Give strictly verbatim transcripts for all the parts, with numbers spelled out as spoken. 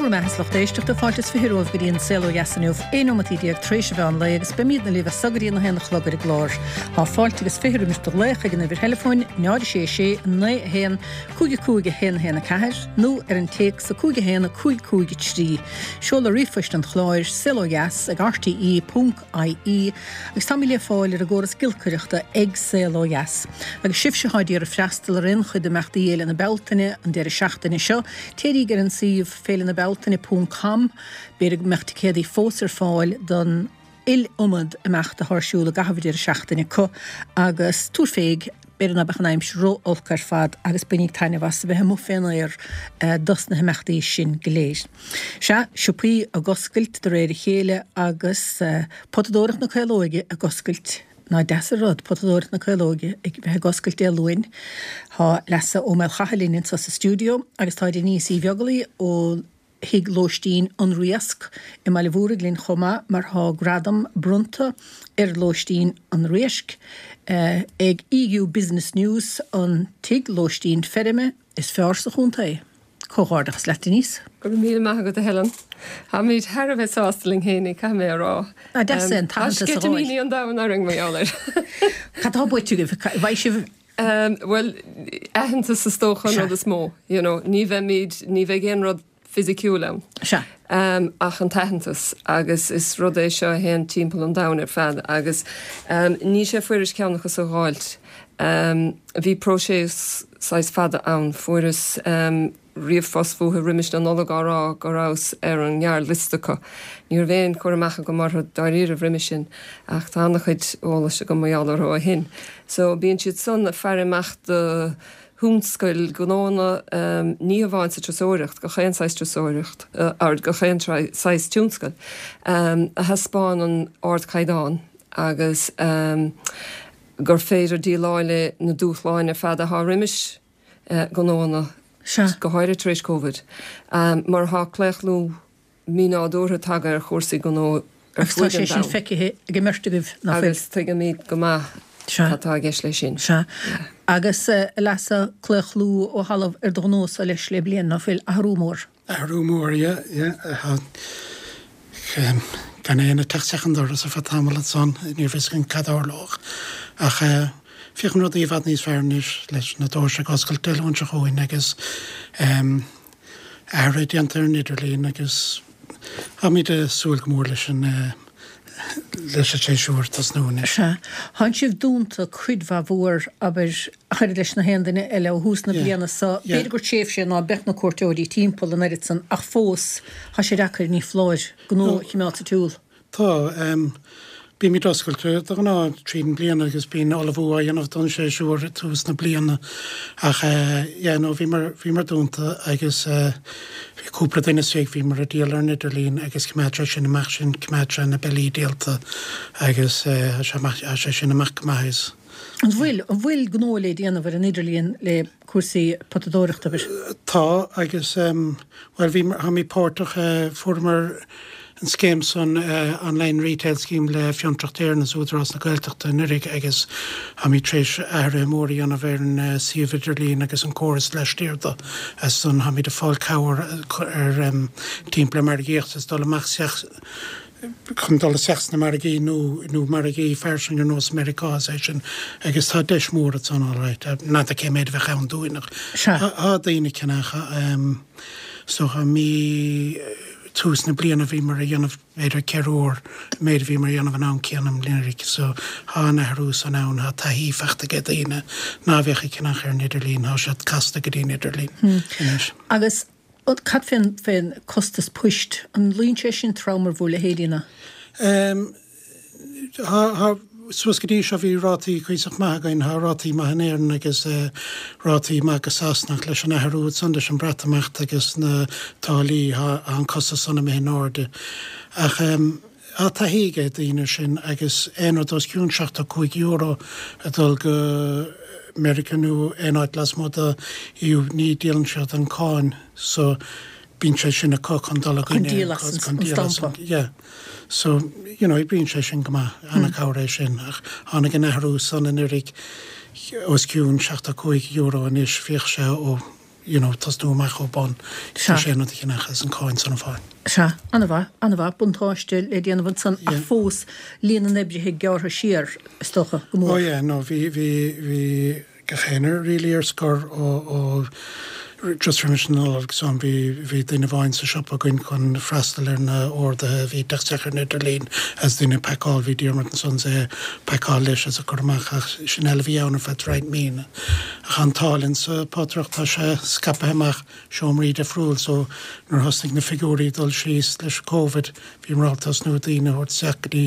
Go raibh maith lucht éisteachta fáilte is fiche romhaibh go dtí an Saol Ó Dheas inniu aon nóiméad déag tar éis an mheán lae agus beimidne libh as so go dtí a haon a chlog ar an gclár. Tá fáilte agus fiche roimis do ghlaoch ag an uimhir theileafóin náid sé sé naoi a haon cúig cúig a haon haon a ceathair nó ar an téacs a cúig a haon a cúig cúig trí. Seoladh ríomhphoist an chláir saolodheas ag RTE ponc IE agus tá le fáil ar an gcóras giolcaireachta ag Saol Ó Dheas. Agus sibhse atá ag iarraidh freastal ar aon chuid d'imeachtaí Fhéile na Bealtaine an deireadh seachtaine seo, téiríg ar an suíomh féile na bealtaine ponc com, b'fhéidir go mbeadh ticéadaí fós ar fáil don iliomad imeacht atá ar siúl i gcaitheamh an deireadh seachtaine acu agus tabhair féig b'fhéidir ná beadh an aimsir ró-olc ar fad agus bainíg taitneamh as a bheith amuigh fén aer dos na himeachtaí sin go léir. Sea, siopaí ag oscailt de réir a chéile agus potadóireacht na Caolóige ag oscailt Ná deas an rud, potadóireacht na Caolóige ag bheith ag oscailt Dé Luain. Tá Leasa Ó Maolchatha linn anseo sa stiúideo agus tá Denise Uí Bheaglaoi ó Thigh Lóistín An Riasc i mBaile Mhúraigh linn chomh maith mar tá gradam bronnta ar Lóistín An Riasc ag EU Business News an Tigh Lóistín Feirme is fearr sa chontae. Comhghairdeachas leat Denise. Go raibh míle maith agat a Helen. Táimid thar a bheith sásta linn féinig, caithfidh mé a rá. Ná deas é an Tá t-aitheantas a fháil. sceitimíní an domhain orainn mar gheall air. Cad tá buaite agaibh? Bheidh sibh Bhuel, aitheantas is dócha an rud is mó, you know, ní bheimid, ní bheidh aon rud fisiciúil ann. Sea. Um, ach an t-aitheantas agus is rud é seo a théann timpeall an domhain ar fad agus um, ní sé fuirist ceann acu a fháilt. Um, bhí próiseas saghas fada ann fuaireas um, ríomhphost uathu roimis na Nollag á rá go rabhas ar an ngearrliosta acu. Ní raibh aon chur amach agam orthu dáiríre roimis sin ach tá an-chuid eolais agam mar gheall orthu ó shin. So bíonn siad san ag faire amach do thionscail gnónna um, ní hamháin sa turasóireacht gach aon saghas turasóireacht uh, ar gach aon saghas tionscail um, a thaispeánann ardchaighdeán agus um, gur féidir déileáil le na dúshláin ar fad atá roimis uh, gnónna Sea. go háirithe tar éis COVID. Um, mar tá claochlú mínádúrtha tagtha ar chúrsaí gnó ar Agus tá fud sé an sin domhain. feicthe ag an mbeirt agaibh nach bhfuil. Agus tuigimid go maith Sea. cad atá i gceist leis sin. Sea. Agus uh, Leasa claochlú ó thalamh ar do ghnósa leis le bliain nach bhfuil athrú mór. Athrú mór, yeah, yeah. Gan éinne ag teacht isteach an doras ar feadh tamall ansan, ní raibh fhios againn cad a tharlódh. Ach féachann rudaí i bhfad níos fearr anois leis na doirse ag oscailt Dé Luain seo chugainn agus athruithe déanta ar an idirlíon agus táimid ag súil go mór leis an leis an séasúr tosnú anois. Sea. Tánn sibh dúnta cuid mhaith mhór abair chuir leis na haon duine eile ó thús na Yeah. bliana so Yeah. b'fhéidir gur tréimhse ná beadh na cuairteoirí timpeall an oiread san ach fós tá sé deacair ní foláir gnó a choimeád sa tsiúl. Tá um, bímid oscailte de ghnáth tríd an bliana agus bíonn ullmhú á dhéanamh don séasúr ag tús na bliana ach uh, yeah, no, bhíomar bhíomar dúnta agus uh, bhí cúpla duine istigh bhíomar ag díol ar an idirlíon agus choimeád sé sin amach sin choimeád sé na billí díolta agus uh, sé amach- sé sin amach go maith is. An bhfuil an bhfuil gnó le déanamh ar an idirlíon le cúrsaí potadóireachta abair. Tá agus um, well bhí tháimid páirteach uh, fuaireamar an scéim san uh, online retail scheme le Fiontraíocht Éireann is Údarás na Gaeltachta anuraidh agus táimid tar éis athrú mór a dhéanamh ar an uh, suíomh idirlín agus an córas laistiar de as san táimid ag fáil cabhair ar um, timpeall margaíocht is dul amach isteach chun dul isteach sna margaí nó nó margaí fairsing ar nós Meiriceá é sin agus tá deis mór san alright ná cé méid bheith ann dúinn ach Sea. Tá daoine ag ceannach um, so mí tús na bliana bhíomar ag déanamh b'fhéidir ceithre huaire méid bhíomar ag déanamh an am céanna anuraidh so tá an athrú san ann tá taithí faighte ag daoine ná bheadh ag ceannach ar an idirlíon tá siad casta go dtí an idirlíon. anois. Agus an- cad fén fén costas poist an luíonn sé sin trom ar bhur leithéidína. Um, ha, ha, suas go dtí seo bhí rátaí cuíosach maith againn tá rátaí maith in Éirinn agus uh, rátaí maith go Sasana leis an athrú san leis an Breatimeacht agus na táillí tá an costas san imithe in airde. Ach um, tá taithí ag daoine sin agus aon rud os cionn seachtó cúig euro a dul go Meiriceá nó aon áit lasmuigh de EU ní dhíolann siad an cáin so bíonn sé sin acu chun dul Chun díol as an- an stampa. Yeah. So, you know, bíonn sé sin go maith an-chabhair é sin ach tháinig an athrú san anuraidh os cionn seachtó cúig euro anois bhíodh sé ó you know, tosnú amach ó bun sé an rud a cheannach is an cáin san a fháil. Sea, an-mhaith, an-mhaith, buntáiste le déanamh ansan ach fós líon na n-oibrithe gearrtha siar, is dócha, go mór. Oh yeah, no, bhí, bhí, bhí gach éinne really ar scor ó, ó just roimis an Nollaig so bhí, bhí duine amháin sa siopa againn chun freastal ar na orduithe a bhí ag teacht isteach ar an idirlíon as duine ag pacáil, bhí Diarmuid ansan is é ag pacáil leis as a cur amach ach sin uile a bhí ann ar feadh roinnt míonna. Ach an t-ádh linn sa potaireacht tá sé scaipthe amach seomraí difriúil so nuair a thosnaigh na figiúirí ag dul síos leis Covid bhíomar ábalta tosnú daoine a thabhairt isteach go dtí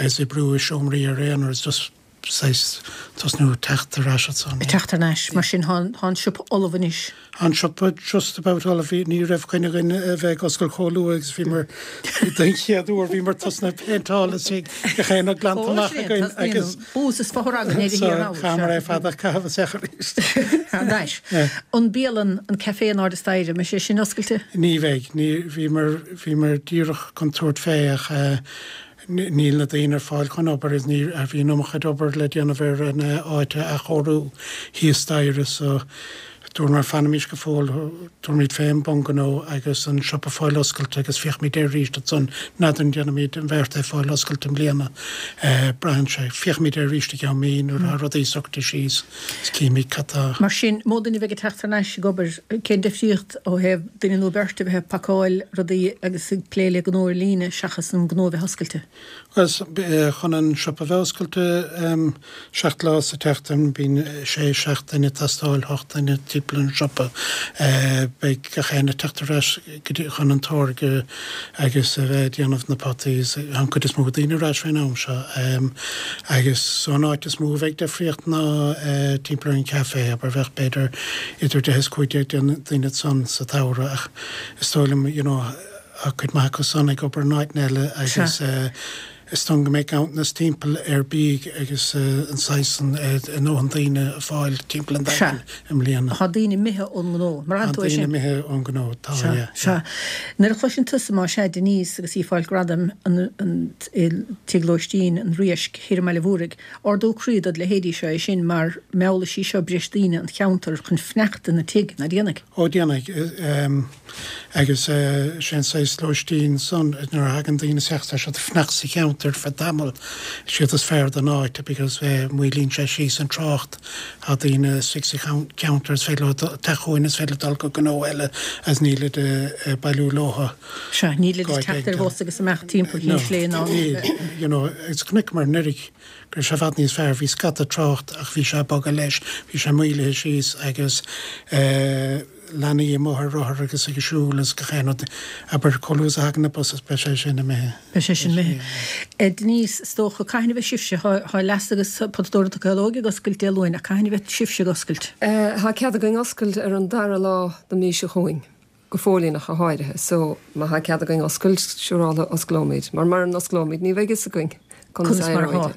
is oibriú i seomraí ar aonar is just saghas tosnú teacht ar ais ansan. Teacht ar ais, mar sin tá an siopa ullamh anois. Tá an siopa just about ullamh, bhí, ní raibh coinne againn a bheith ag oscailt chomh luath agus bhíomar don chéad uair bhíomar tosnaithe ag péinteáil is bhí gach aon rud glanta amach againn agus Bús is fothragadh ar a so thiar chaithfear é fad a chaitheamh isteach arís. Thar n-ais. An bialann, an café in airde staighre, an mbeidh sé sin oscailte? Ní bheidh, ní, bhíomar, bhíomar díreach chun tabhairt fé ach eh, Níl na daoine ar fáil chun obair is ní bhí an iomarca obair le déanamh ar an áit a athchóiriú thíos staighre so dúramar fanaimis go fóill, tabharfaimid fé an bungnó agus an siopa fáil oscailte agus féachfaimid air arís ansan, n'fheadar an ndéanfaimid an bheart é fáil oscailte i mbliana, braitheann sé, féachfaimid air arís i gceann mí nuair atá rudaí socraithe síos is cífimid cad tá. Mar sin, mó duine a bheidh ag teacht thar n-ais ag obair, cén difríocht ó thaobh duine nó beirt a bheith ag pacáil rudaí agus ag plé le gnó ar líne seachas an gnó a bheith oscailte? Bhuel, chun an siopa a bheith oscailte seacht lá sa tseachtain, bíonn sé, seacht duine ag teastáil, ocht duine timpeall an siopa. Beidh gach éinne ag teacht ar ais go dtí chun an táirge agus a bheith ag déanamh na potaí. Tá an cuid is mó daoine ar ais faoin am seo. Agus so an áit is mó a bheidh difríocht ná timpeall ar an café, abair, bheadh b'fhéidir idir deich is cúig déag duine ansan sa tsamhradh ach is dóigh liom, you know, Tá cuid maith acu san ag obair in áiteanna eile agus is dóigh go mbeidh ganntanas timpeall ar bídh agus an saghas san i ndóthain daoine a fáil timpeall an Daingin i mbliana. Tá daoine imithe ón ngnó. Mar Tá daoine imithe ón ngnó, tá, yeah. Sea. Nuair a chloiseann tusa más ea Denise agus í ag fáil gradaim i Tigh Lóistín an Riaisc thiar i mBaile Mhúraigh, ardú croí dod leithéidí seo é sin mar meallfaidh sí seo breis daoine an cheantair chun fanacht ina tigh, ná déanfaidh? Ó déanfaidh. Agus sé an saghas lóistín san, nuair a thagann daoine isteach tá siad ag fanacht sa cheantar ar feadh tamaill, is iad is fearr don áit because maolaíonn sé síos an trácht, tá daoine istigh sa cheantar is féidir leo teacht chugainn, is féidir dul go gnó eile agus nílid ag bailiú leotha. Sea, nílid ag teacht ar bhus agus imeacht timpeall Chill Chainnigh ná. Níl, you know, agus chonaiceamar anuraidh go raibh sé i bhfad níos fearr, bhí scata trácht ach bhí sé ag bogadh leis, bhí sé maolaithe síos agus eh, leanaí amuigh ar rothar agus ag siúl agus gach aon rud. Abair, chomh luath is a thagann na buses, beidh sé sin imithe. Beidh sé sin imithe. Denise, is dócha, cathain a bheidh sibhse, tá Leasa agus Potadóireacht Caológ ag oscailt Dé Luain, ach cathain a bheidh sibhse ag oscailt? Tá cead againn oscailt ar an dara lá den mhí seo chugainn, go fóillíneach go háirithe, so má tá cead againn oscailt, siúráilte osclóimid, mar mura n-osclóimid ní bheidh fhios againn conas Conas mar a atá.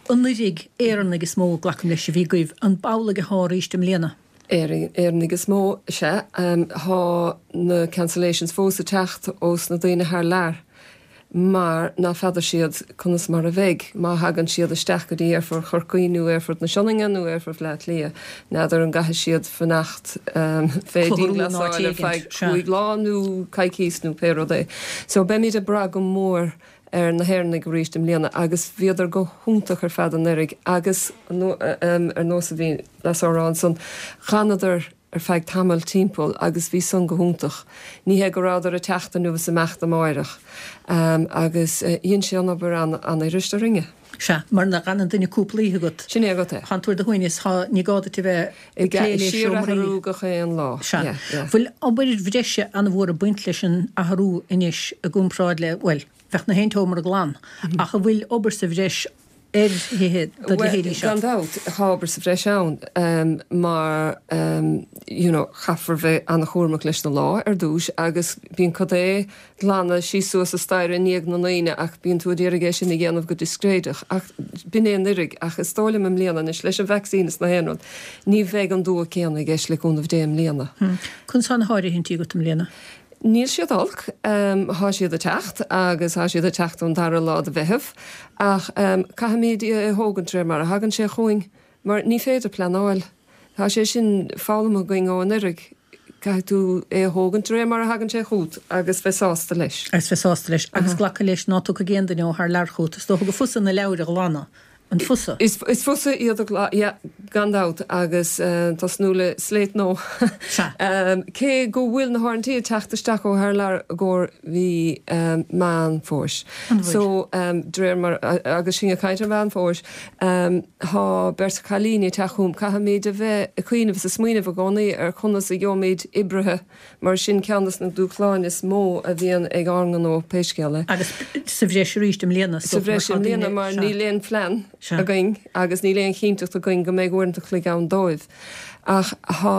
Anuraidh, Éireannaigh is mó, glacaim leis, a bhí agaibh. An b'amhlaidh atá arís i mbliana? Éireannaigh is mó, sea. Thá na cancellations fós ag teacht ós na daoine thar lear mar ná feadar siad conas mar a bheidh má thagann siad isteach go dtí Aerfort Chorcaí nó Aerfort na Sionainne nó Aerfort Bhaile Átha Cliath. N'fheadar an gcaithfidh siad fanacht fé dhianghlasáil ar feadh cúig lá nó coicís nó pé rud é. So beimid ag brath go mór ar na hÉireannaigh arís i mbliana agus bhíodar go hiontach ar fad anuraidh agus ar nós a bhí Neasa á rá ansan, dh'fhanadar ar feadh tamaill timpeall agus bhí san go hiontach. Ní hé go rabhadar ag teacht inniu is imeacht amáireach agus dhein sé an obair an-fhuirist orainne. Sea, mar nuair a dh'fhanann duine cúpla oíche agat. Sin é agat é. Thánn tú ar do shuaimhneas, thá, ní gá duit a bheith ag plé le seomraí. Síorathrú gach aon lá. Sea. Bhfuil obair bhreise an-mhór ag baint leis an athrú anois i gcomparáid le, bhuel, bheadh na haon tseomra glan, ach an bhfuil obair sa bhreis ar thithe do Bhuel, leithéidí seo? gan dabht, tá obair sa bhreis ann mar you know chaithfear bheith an-chúramach leis na lá ar dtús agus bíonn cad é glanadh síos suas an staighre i ndiaidh na ndaoine ach bíonn tú ag iarraidh é sin a dhéanamh go discréideach ach b'in é anuraidh ach is dóigh liom i mbliana anois leis an vaccine is na haon rud ní bheidh an dua céanna i gceist le cúnamh Dé i mbliana. Conas tá na háirithintí agat i mbliana? Níl siad olc. Thá siad ag teacht agus thá siad ag teacht ón dara lá de Mheitheamh ach caithfimid é a thógaint de réir mar a thagann sé chugainn mar ní féidir pleanáil. Tá sé sin foghlamtha againn ó anuraidh. Caithfidh tú é a thógaint de réir mar a thagann sé chugat agus bheith sásta leis. Agus bheith sásta leis. Agus glacadh leis ná tiocfaidh aon duine ó thar lear chugat. Is dócha gur fusa na leabhair a ghlanadh. An fusa? Is fusa iad a ghlanadh, yeah, gan dabht, agus tosnú le slate nua. Cé go bhfuil na háirithe ag teacht isteach ó thar lear i gcomhair mhí Meán Fómhair. So, de réir mar, agus sinn ag caint ar Mheán Fómhair, tá beirt chailíní ag teacht chugam, caithfimid a bheith ag cuimhneamh is ag smaoineamh i gcónaí ar conas a gheobhaimid oibrithe mar sin ceann de na dúshláin is mó a bhíonn ag ár ngnó pé scéal é. Agus sa bhreis arís i mbliana. Sa bhreis i mbliana mar níl aon phlean againn agus níl aon chinnteacht againn go mbeidh uaireanta chloig ann dóibh. Ach tá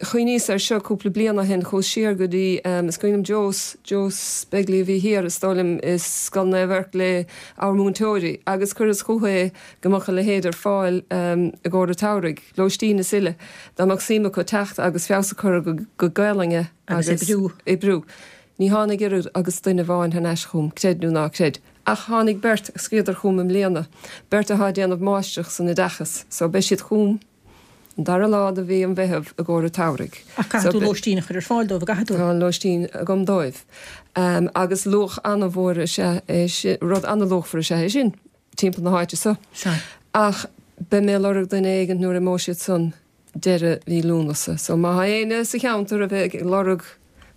chuimhníos air seo cúpla bliain ó shin, chuas siar go dtí, is cuimhin liom Joe, Joe Begley a bhí thiar is dóigh liom i Scoil Naomh Eirc le ár múinteoirí agus chuireas chucu é go mbeadh a leithéid ar fáil i gcomhair an tsamhraidh, lóistín is uile, dá mbeadh suim acu teacht agus feabhas a chur ar a gcuid Gaelainne agus oibriú. oibriú. Ní tháinig oiread agus duine amháin thar n-ais chugam, creid nó ná creid. Ach tháinig beirt a scríobhadar chugam i mbliana, beirt atá ag déanamh máistreacht san oideachas, so beidh siad chugam an dara lá de mhí an Mheithimh i gcomhair an tsamhraidh. Ach caithfidh tú lóistín a chur ar fáil dóibh, an gcaithfidh tú? Tá lóistín agam dóibh. Agus luach an-mhór is ea é sin, rud an-luachmhar is ea é sin timpeall na háite so. Sea. Ach beidh mé ag lorg duine éigin nuair a imeoidh siad san deireadh mhí Lúnasa. So má tá éinne sa cheantar a bheidh ag lorg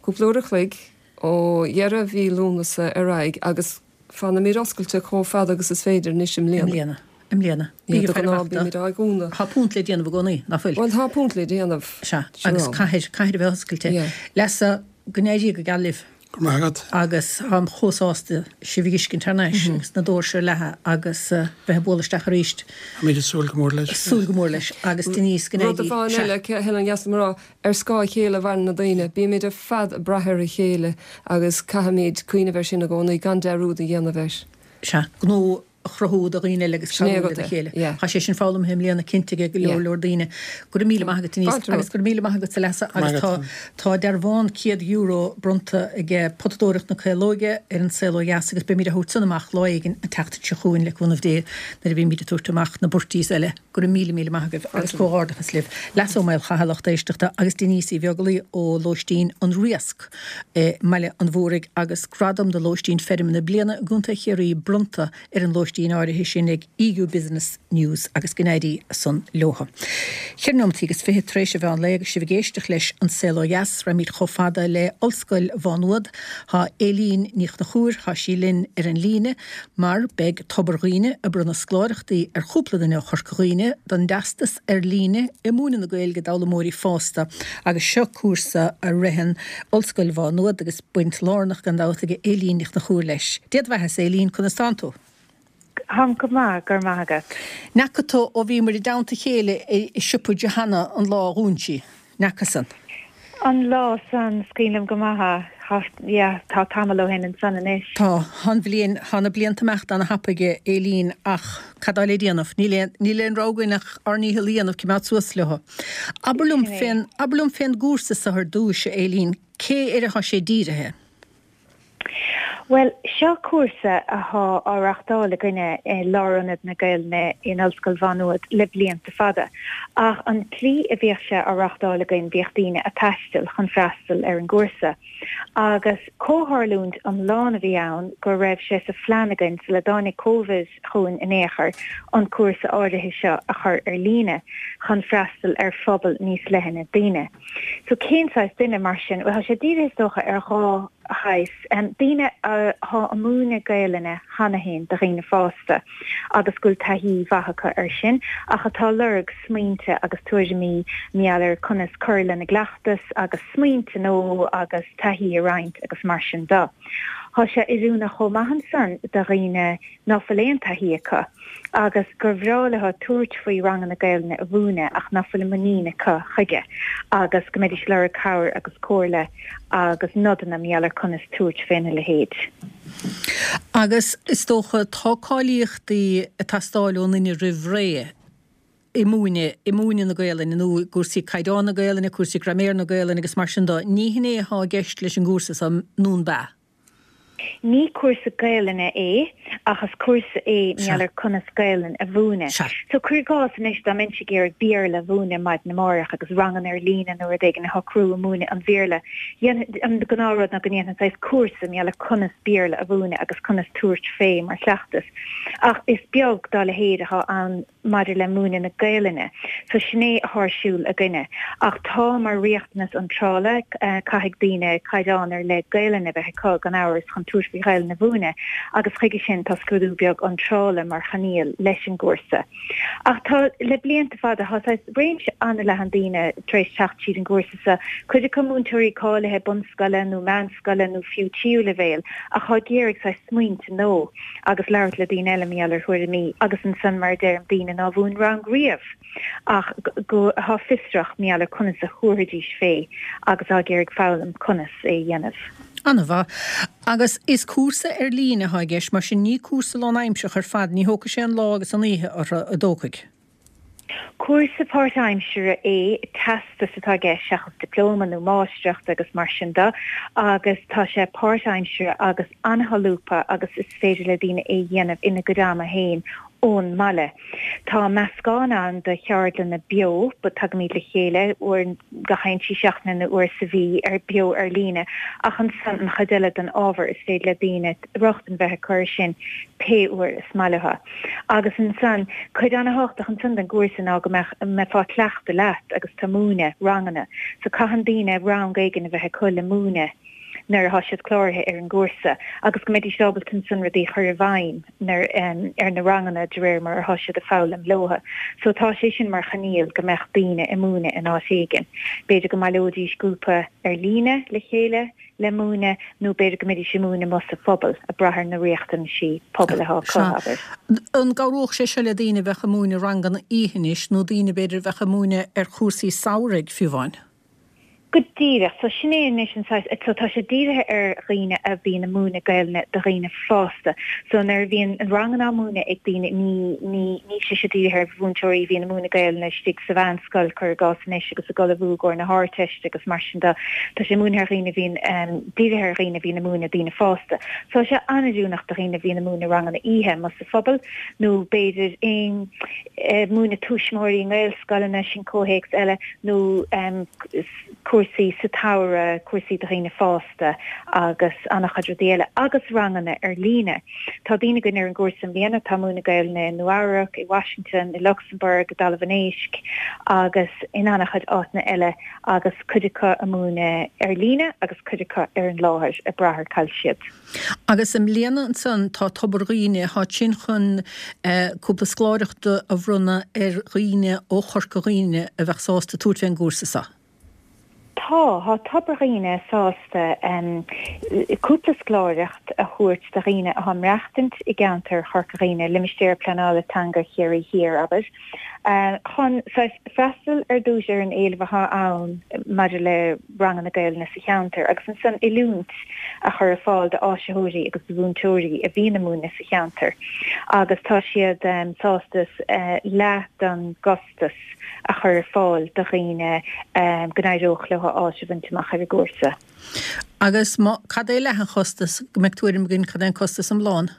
cúpla uair a chloig ó dheireadh mhí Lúnasa ar aghaidh agus fanfaimid oscailte chomh fada agus is féidir anois i mbliana. I mbliana. I mbliana. Bígí de ghnáth bímid á dhúnadh. Tá punt le déanamh i gcónaí, ná fuil? Bhuel tá punt le déanamh. Sea, agus caithfidh, caithfidh a bheith oscailte. Leasa, go n-éirí go geal libh. Go raibh maith agat. Agus táim chomh sásta sibh a fheiscint thar n-ais agus na doirse ar leathadh agus bheith ag bualadh isteach arís. Táimid ag súil go mór leis. Súil go mór leis. Agus Denise, go Rud n-éirí. amháin Sea. eile, Helen, dheas liom a rá, ar scáth a chéile a mhaireann na daoine. Bímid ar fad ag brath ar a chéile agus caithfimid cuimhneamh air sin i gcónaí, gan dearúd a dhéanamh air. Sea, gnó a chruthú do dhaoine eile agus Sin é cabhrú agat lena é. chéile. Yeah. Tá sé sin foghlamtha i mbliana cinnte ag go leor Yeah. leor daoine. Go raibh míle maith agat Denise Fáilte agus romhat. go raibh míle maith agat a Leasa Go raibh agus maith tá agat. tá dearbhán céad euro bronnta ag Potadóireacht na Caolóige ar an Saol Ó Dheas agus beimid á thabhairt san amach lá éigin an tseachtain seo chugainn le cúnamh Dé nuair a bhímid ag tabhairt amach na burties eile. Go raibh míle míle maith agaibh agus Fáilte romhat. comhghairdeachas libh. Leasa Ó Maolchatha lucht éisteachta agus Denise Uí Bheaglaoi ó Lóistín an Riasc i mBaile an Mhúraigh agus gradam do Lóistín Feirme na Bliana i gContae Chiarraí bronnta ar an lóistín áirithe sin ag EU Business News agus go n-éirí san leotha. Ceithre nóimeataí agus fiche tar éis an mheán lae agus sibh ag éisteacht leis An Saol Ó Dheas, raghaimid chomh fada le Ollscoil Mhá Nuad. Tá Éilín Ní Chonchúir, tá sí linn ar an líne mar beidh Tobar Dhuibhne ag bronnadh scoláireachtaí ar chúpla duine ó Chorca Dhuibhne don dteastas ar líne i múineadh na Gaeilge d'fhoghlaimeoirí fásta agus seo cúrsa a ritheann Ollscoil Mhá Nuad agus baint lárnach gan dabht ag Éilín Ní Chonchúir leis. Dé do bheatha-sa Éilín, conas tánn tú? Táim go maith, go raibh maith agat. An bhfaca tú ó bhíomar i dteannta a chéile i siopa Johanna an lá a dhún sí, an bhfaca san? An lá san, is cuimhin liom go maith é. Tá, yeah, tá tamall ó shin ansan anois. Tá, tá an bhliain, tá na blianta ag imeacht ana-thapaidh a Éilín ach cad tá le déanamh? Níl aon, níl aon rogha againn ach ár ndícheall a dhéanamh coimeád suas leo. Abair liom Sin é. fén, abair liom fén gcúrsa so ar dtúis, a Éilín, cé air atá sé dírithe? Bhuel, seo cúrsa athá á reachtáil againne i Lárionad na Gaelainne in Ollscoil Mhá Nuad le blianta fada. Ach an tslí a bhíodh sé á reachtáil againn bhíodh daoine ag taisteal chun freastal ar an gcúrsa. Agus comhtharlúint iomlán a bhí ann go raibh sé sa phlean againn sula dtáinig Covid chugainn in aon chor an cúrsa áirithe seo a chur ar líne chun freastal ar phobal níos leithne daoine. So cén saghas duine mar sin? Bhuel, tá sé dírithe is dócha ar dhá shaghas. Daoine athá ag múineadh Gaelainne cheana féin do dhaoine fásta agus go bhfuil taithí mhaith acu air sin ach atá ag lorg smaointe agus tuairimí mar gheall ar conas cur lena gcleachtas agus smaointe nua agus taithí a roinnt agus mar sin de. Tá sé oiriúnach chomh maith ansan do dhaoine ná fuil aon taithí acu agus gur bhreá leo tabhairt faoi ranganna Gaelainne a mhúineadh ach ná fuil an muinín acu chuige agus go mbeidís ag lorg cabhair agus comhairle agus nodanna mar gheall ar conas tabhairt féna leithéid. Agus is dócha tá cáilíochtaí ag teastáil ón duine roimh ré i múineadh, i múineadh na Gaelainne nó i gcúrsaí caighdeán na Gaelainne, cúrsaí graiméar na Gaelainne agus mar sin de. Ní hin é atá i gceist leis an gcúrsa so, nó an ea? Ní cúrsa Gaelainne é, ach is cúrsa é mar gheall ar conas Gaelainn a mhúineadh. So cuir i gcás anois dá mbeinnse ag iarraidh Béarla a mhúineadh maidin amárach agus ranganna ar líne nó rud éigin a shocrú ag múineadh an Bhéarla, an gnáthrud ná go ndéanfainn saghas cúrsa mar gheall ar conas Béarla a mhúineadh agus conas tabhairt fé mar chleachtas. Ach is beag dá leithéid atá ann maidir le múineadh na Gaelainne. So sin é atá ar siúl againne. Ach tá mar riachtanas iontrála, caithfidh daoine caighdeán ar leith Gaelainne a bheith acu gan amhras chun tabhairt faoi Ghaelainn a mhúineadh agus chuige sin tá scrúdú beag iontrála mar choinníoll leis an gcúrsa. Ach tá, le blianta fada, tá saghas réimse an-leathan daoine tar éis teacht tríd an gcúrsa seo, cuid acu múinteoirí cáilithe bunscoile nó meánscoile nó fiú tríú leibhéal ach atá ag iarraidh saghas smaointe nua agus labhairt le daoine eile mar gheall ar thuairimí agus ansan mar a deirim daoine nár mhúin rang riamh ach go atá fiosrach mar gheall ar conas a thabharfaidís fé agus atá ag iarraidh foghlaim conas é a dhéanamh. An-mhaith. Agus is cúrsa ar líne atá i gceist, mar sin ní cúrsa lánaimseartha ar fad, ní thógfaidh sé an lá agus an oíche orthu, an dtógfaidh? Cúrsa páirtaimseartha é, teastas atá i gceist seachas dioplóma nó máistreacht agus mar sin de, agus tá sé páirtaimseartha agus an-sholúbtha agus is féidir le daoine é a dhéanamh ina gcuid ama féin ón mbaile. Tá meascán ann de cheardlanna beo, tagaimid le chéile uair gach aon trí seachtaine nó uair sa mhí ar beo ar líne, ach ansan an chuid eile den ábhar is féidir le daoine rochtain bheith acu air sin pé uair is maith leo. Agus ansan, cuid an-thábhachtach ansan den gcúrsa ná go mbeadh, mbeifeá ag cleachtadh leat agus tú ag múineadh ranganna. So caitheann daoine rang éigin a bheith acu le múineadh nuair atá siad cláraithe ar an gcúrsa agus go mbeidís ábalta ansan rudaí a chur i bhfeidhm nuair, ar na ranganna de réir mar atá siad ag foghlaim leo. So tá sé sin mar choinníoll go mbeadh daoine ag múineadh in áit éigin. B'fhéidir go mbaileoidís grúpa ar líne le chéile le múineadh nó b'fhéidir go mbeidís ag múineadh amuigh sa phobal, ag brath ar na riachtanaisí pobail atá acu, abair. An gcabhródh sé seo le daoine a bheadh ag múineadh ranganna oíche anois nó daoine b'fhéidir a bheadh ag múineadh ar chúrsaí samhraidh fiú amháin? Go díreach. So sin é anois an saghas, so tá sé dírithe ar dhaoine a bhíonn ag múineadh Gaelainne do dhaoine fásta. So nuair a bhíonn ranganna á múineadh ag daoine, ní, ní, níl sé seo dírithe ar mhúinteoirí a bhíonn ag múineadh Gaelainne istigh sa mheánscoil, cuir i gcás anois, agus ag ullmhú i gcomhair na hArdteiste agus mar sin de. Tá sé múinthe ar dhaoine a bhíonn, dírithe ar dhaoine a bhíonn ag múineadh daoine fásta. So tá sé an-oiriúnach do dhaoine a bhíonn ag múineadh ranganna oíche amuigh sa phobal nó b'fhéidir aon, múineadh tuismitheoirí i nGaelscoileanna, sin comhthéacs eile, nó cúrsaí sa tsamhradh, cúrsaí do dhaoine fásta agus an-chuid rudaí eile, agus ranganna ar líne. Tá daoine againn ar an gcúrsa i mbliana atá ag múineadh Gaelainne i Nua Eabhrac, i Washington, i Lucsamburg, i dTalamh an Éisc agus in an-chuid áiteanna eile agus cuid acu ag múineadh ar líne agus cuid acu ar an láthair, ag brath ar cá bhfuil siad. Agus i mbliana ansan tá Tobar Dhuibhne, tá sin chun cúpla scoláireacht a bhronnadh ar dhaoine ó Chorca Dhuibhne a bheadh sásta tabhairt fén gcúrsa seo. Tá, tá Tobar Dhuibhne sásta cúpla scoláireacht a thabhairt do dhaoine atá ag maireachtaint i gceantar Chorca Dhuibhne, Limistéar Pleanála Teanga Chiarraí Thiar, abair, chun saghas freastal ar dtús ar an éileamh atá ann maidir le ranganna Gaelainne sa cheantar agus ansan oiliúint a chur ar fáil d'áisitheoirí agus do mhúinteoirí a bhíonn ag múineadh sa cheantar agus tá siad sásta leath den gcostas a chur ar fáil do dhaoine go n-éireodh leo áit a bhaint amach ar an gcúrsa. Agus má, cad é leath an chostais, go mbeidh tuairim againn cad é an costas iomlán?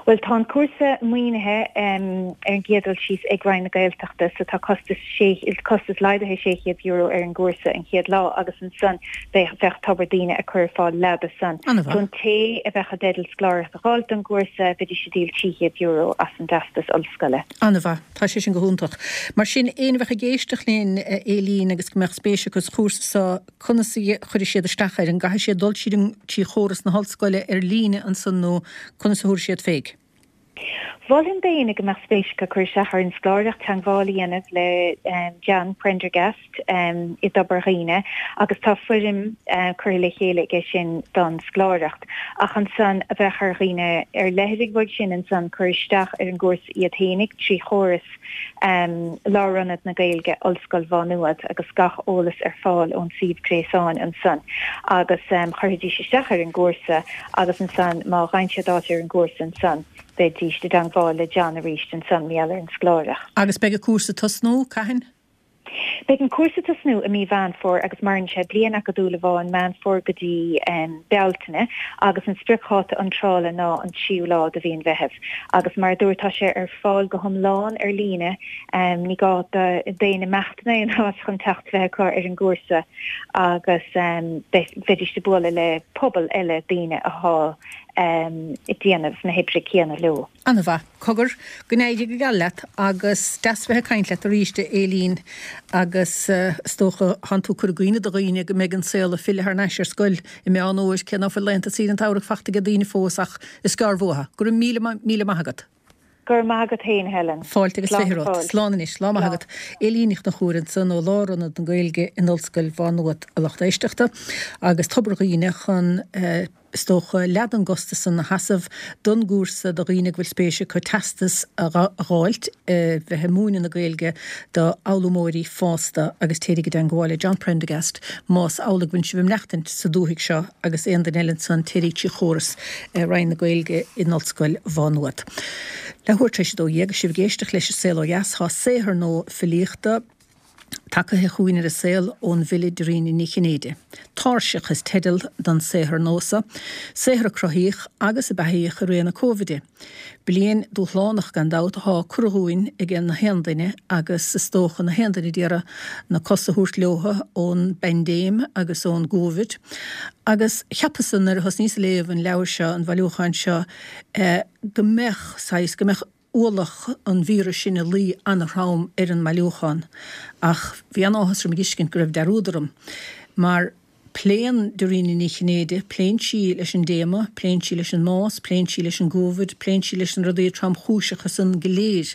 Bhuel, tá an cúrsa maoinithe ar an gcéad dul síos ag Roinn na Gaeltachta so tá costas sé, costas laghdaithe sé chéad euro ar an gcúrsa an chéad lá agus ansan bheadh, bheadh Tobar Dhuibhne ag cur ar fáil leath de san. An-mhaith. So an té a bheadh i dteideal scoláireacht a dh'fháilt don gcúrsa, bheidís ag díol trí chéad euro as an dteastas ollscoile. An-mhaith. Tá sé sin go hiontach. Mar sin, éinne a bheadh ag éisteacht linn, a Éilín, agus go mbeadh spéis acu sa chúrsa seo, conas a chuirfidh siad isteach air? An gcaithfidh siad dul tríd an, trí chóras na hollscoile ar líne ansan nó conas a thabharfaidh siad fé? Mholfainn d'éinne go mbeadh spéis acu cur isteach ar an scoláireacht teagmháil a dhéanamh le John Prendergast i dTobar Dhuibhne agus tá foirm curtha le chéile aige sin don scoláireacht. Ach ansan a bheadh ar dhaoine ar leithligh uaidh sin ansan cur isteach ar an gcúrsa iad fhéinig trí chóras Lárionad na Gaeilge, Ollscoil Mhá Nuad agus gach eolas ar fáil ón suíomh gréasáin ansan agus chuirfidís isteach ar an gcúrsa agus ansan má fhaigheann siad áit ar an gcúrsa ansan bheidís i dteangmháil le John arís ansan mar gheall ar an scoláireacht. Agus beidh an cúrsa ag tosnú, cathain? Beidh an cúrsa ag tosnú i mí Mheán Fómhair agus maireann sé bliain acadúil amháin, Meán Fómhair go dtí Bealtaine, agus an spriocdháta iontrála ná an tríú lá de mhí an Mheithimh. Agus mar a dúirt, tá sé ar fáil go hiomlán ar líne, ní gá d'éinne imeacht in aon áit chun teacht bheith acu ar an gcúrsa agus bheidís ag bualadh le pobal eile daoine athá ag déanamh na hoibre céanna leo. Ana-mhaith. Cogar, go n-éirí go geal leat agus deas bheith ag caint leat arís a Éilín agus is dócha thánn tú ag cur i gcuimhne do dhaoine go mbeidh an saol ag filleadh thar n-ais ar scoil i Meán Fhómhair, cé ná fuil laethanta saoire an tsamhraidh fachta ag daoine fós ach is gearr uathu. Go raibh míle míle maith agat. Go raibh maith agat féin, Helen. Fáilte agus fiche romhat. Slán anois. Lá maith agat. Éilín Ní Chonchúir ansan ó Lárionad na Gaeilge in Ollscoil Mhá Nuad, a lucht éisteachta, agus Tobar Dhuibhne chun, is dócha, leath den gcostas san a sheasamh don gcúrsa do dhaoine go bhfuil spéis acu teastas a dh'fháilt bheith ag múineadh na Gaeilge do fhoghlaimeoirí fásta agus téiríg i dteangmháil le John Prendergast más amhlaidh go bhfuil sibh ag maireachtaint sa dúthaigh seo agus aon duine eile ansan téiríg trí chóras Roinn na Gaeilge in Ollscoil Mhá Nuad. Leathuair tar éis a dó dhéag, sibh ag éisteacht leis An Saol Ó Dheas, tá saothar nua filíochta tagaithe chugainn ar an saol ón bhfile Dairena Ní Chinnéide. Tairseach is teideal don saothar nua so, saothar a cruthaíodh agus a beathaíodh i ré na Cóivide. Bliain dúshlánach gan dabht athá curtha dhúinn ag na haon duine agus is dócha na haon duine d'iarraidh na cosa a thabhairt leotha ón bpaindéim agus ón gCóivid. Agus cheapas-sa nuair a thosnaíos ag léamh an leabhair seo, an bhailiúcháin seo, go mbeadh saghas, go mbeadh ualach an víris sin ag luí ana-throm ar an mbailiúchán. Ach bhí an-áthas orm a dh'fheiscint go raibh dearúd orm. Mar pléann Dairena Ní Chinnéide, pléann sí leis an dtéama, pléann sí leis an mbás, pléann sí leis an gCóivid, pléann sí leis na rudaí tromchúiseacha san go léir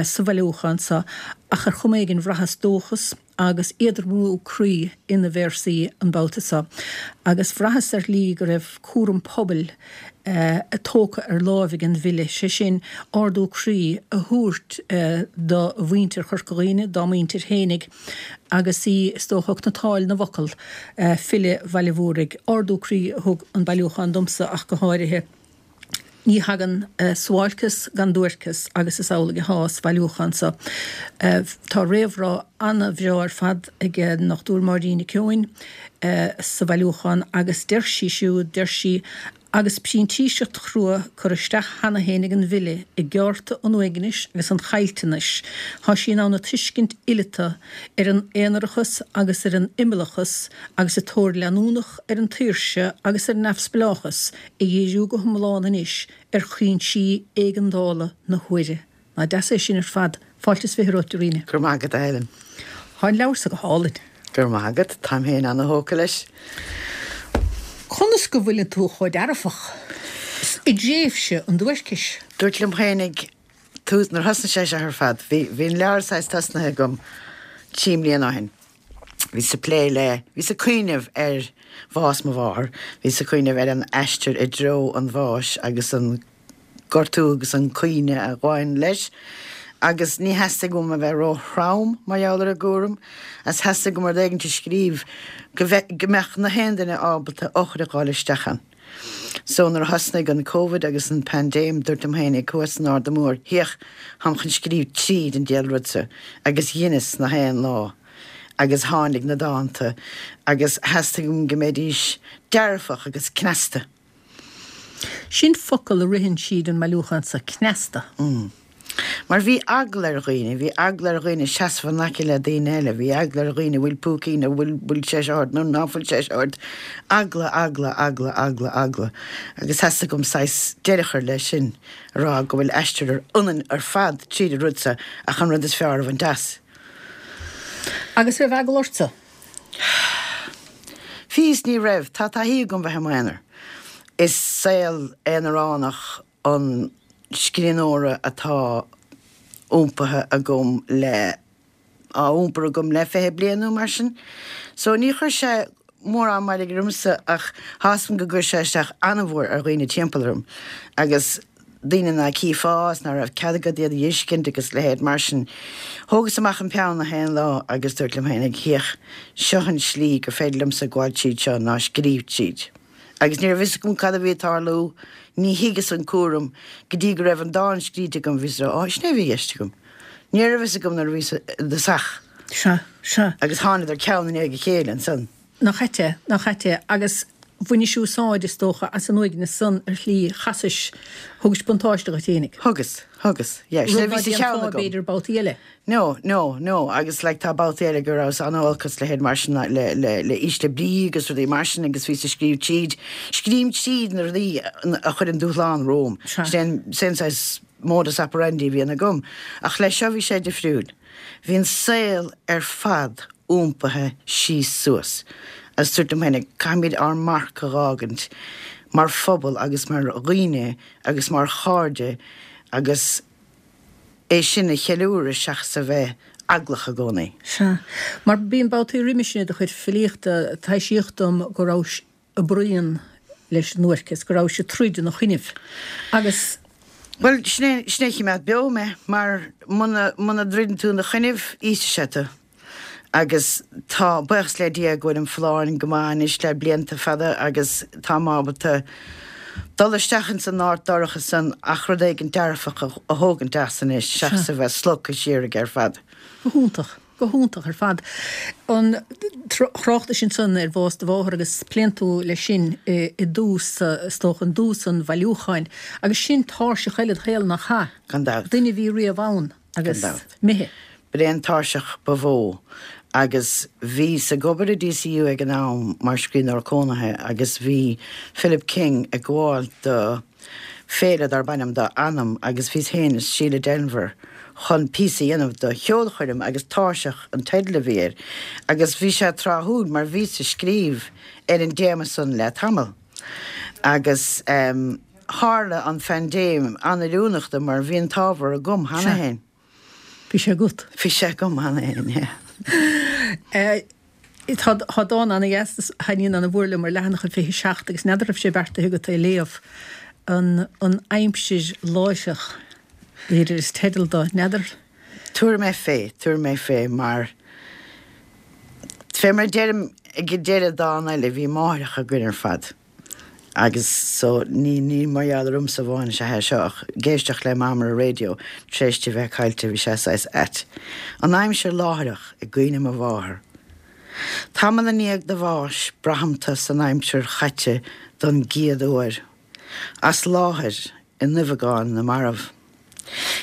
sa bhailiúchán so, ach ar chuma éigin bhraitheas dóchas agus éadromú croí ina véarsaí an babhta so. Agus bhraitheas ar shlí go raibh cúram pobail tógtha ar láimh ag an bhfile, sé sin, ardú croí a thabhairt do mhuintir Chorca Dhuibhne, dá muintir fhéinig, agus í, is dócha, ag cniotáil na bhfocal, file Bhaile Mhúraigh. Ardú croí a thug an bailiúchán domsa ach go háirithe. Ní thagann suáilceas gan duairceas agus is amhlaidh athá sa bhailiúchán so. Tá réamhrá ana-bhreá ar fad ag an nDochtúir Máirín Nic Eoin sa bhailiúchán agus deir sí siúd, deir sí, Agus printíseacht chrua curtha isteach cheana féin ag an bhfile i gceárta an uaignis agus an chaillteanais, tá sí in ann a tuiscint fhileata ar an aonarachas agus ar an imeallachas agus a tóir leanúnach ar an tsaoirse agus ar an neamhspleáchas a dhíriú go hiomlán anois ar chúinsí éigeandála na huaire. Nach deas é sin ar fad. Fáilte is fiche romhat, Dairena. Go raibh maith agat, a Helen. Tá an leabhar so go hálainn. Go raibh maith agat. Táim féin ana-thógtha leis. Conas go bhfuileann tú chomh dearfach i dtréimhse an duaircis? Dúirt liom féinig tús, nuair a thosnaigh sé seo ar fad, bhí, bhí an leabhar saghas tosnaithe agam trí mbliana ó shin. Bhíos ag plé le, bhíos ag cuimhneamh ar bhás mo mháthar, bhíos ag cuimhneamh ar an aistear i dtreo an bháis agus an gortú agus an caoineadh a ghabhann leis, agus ní theastaigh uaim a bheith ró-throm mar gheall ar an gcúram, agus theastaigh uaim rud éigint a scríobh go go mbeadh na haon duine ábalta eochair a dh'fháil isteach ann. So nuair a thosnaigh an Covid agus an paindéim, dúirt liom féinig thuas san Arda Mór, Féach, táim chun scríobh tríd an diabhal rud seo, agus dheineas na haon lá, agus tháinig na dánta, agus theastaigh uaim go mbeidís dearfach agus cneasta. Sin focal a ritheann tríd an mbailiúchán so, cneasta. Mar bhí eagla ar dhaoine, bhí eagla ar dhaoine seasamh in aice le daoine eile, bhí eagla ar dhaoine bhfuil púicín nó bhfuil, bhfuil sé seo ort nó ná fuil sé seo ort. Eagla, eagla, eagla, eagla, eagla. Agus theastaigh uaim saghas deireadh a chur leis sin, a rá go bhfuil aistear ionainn ar fad tríd an rud seo ach an rud is fearr a bhaint as. Agus raibh eagla ortsa? Bhí is ní raibh. Tá taithí agam bheith i m'aonar. Is saol aonaránach an scríbhneora atá iompaithe agam le, á iompar agam le fiche bliain nó mar sin. So ní chuir sé mórán mairg ormsa ach tá 'fhios agam go gcuir sé isteach an-mhór ar dhaoine timpeall orm agus daoine ná cífeá is ná raibh cead agat iad a dh'fheiscint agus leithéid mar sin. Thógas amach an peann na haon lá agus dúirt liom féinig, Féach, seo an slí gur féidir liomsa gabháil tríd seo ná scríobh tríd. Agus ní raibh fhios agam cad a bhí ag tarlú, ní thuigeas an cúram go dtí go raibh an dán scríte agam, bhíos ag rá, Á, sin é a bhí i gceist agam. Ní raibh fhios agam nuair a bhíos i dtosach. Sea, sea. Agus thánadar ceann i ndiaidh a chéile ansan. Nach ait é, nach ait é. Agus bhainis úsáid, is dócha, as an uaigneas san ar shlí, chasais, thugais buntáiste dhuit fhéinig. Thugas, thugas, yeah. Sin é a Rud bhí ná sa cheann déanfá, agam. b'fhéidir, babhtaí eile. No, no, no, agus like tá babhtaí eile go rabhas an-olc agus leithéid mar sin le, le, le ísle brí agus rudaí mar sin agus bhíos ag scríobh tríd, scríobhaim tríd na rudaí a chuireann dúshlán romham. Sea. Sin é an saghas modus operandi a bhíonn agam. Ach leis seo bhí sé difriúil. Bhí an saol ar fad iompaithe síos suas. Agus dúirt liom féinig, caithfimid ár marc a dh'fhágaint mar phobal agus mar dhaoine agus mar chairde agus é sin a cheiliúradh seachas a bheith eaglach i gcónaí. Sea. Mar bíonn babhtaí roimhe sin i do chuid filíochta, taibhsíodh dom go rabhais ag bruíon leis an duairceas, go rabhais ag troid ina choinnibh. Agus. Bhuel, sin é, sin é a chimeád beo mé, mar muna, muna dtroideann tú ina choinnibh, íosfaidh sé tú. Agus tá, buíochas le Dia go bhfuilim folláin go maith anois le blianta fada agus táim ábalta dul isteach ins an áit dorcha san ach rud éigin dearfach a, a thógaint as anois seachas a bheith slogtha siar aige ar fad. Go hiontach. Go hiontach ar fad. An thráchtais ansan ar bhás do mháthar agus pléann tú leis sin i dtús, is dócha, i dtús an bhailiúcháin. Agus sin tairseach eile id shaol, nach ea? Gan dabht. Duine a bhí riamh ann agus Gan dabht. imithe. B'é an tairseach ba mhó agus bhíos ag obair i DCU ag an am mar scríbhneoir cónaithe agus bhí Philip King ag gabháil do féile darb ainm do Anam agus bhíos féin is Síle Denvir chun píosa a dhéanamh do cheolchoirm agus Tairseach an teideal a bhí air agus bhí sé tráthúil mar bhíos ag scríobh ar an dtéama san le tamall agus tharla an phaindéim an-oiriúnach dom mar bhí an t-ábhar agam cheana Sea. féin. Bhí sé agat. Bhí sé agam cheana féin, yeah. Tá tá dán ana-dheas a thaitníonn ana-mhór liom ar leathanach a fiche seacht agus n'fheadar raibh sé beartaithe agat é a léamh, an an aimsir láithreach, b'fhéidir is teideal dó, n'fheadar? Tabharfaidh mé fé, tabharfaidh mé fé mar, fé mar a deirim ag deireadh dán eile, bhí máithreacha againn ar fad agus so ní, ní mar gheall ormsa amháin is ea é seo ach ag éisteacht le Mam ar an raidió tar éis di bheith caillte bhí sé saghas ait. An aimsir láithreach i gcuimhne mo mháthar. Tamall i ndiaidh do bháis braithim tu san aimsir chaite don gcéad uair. As láthair i nduibheagán na marbh.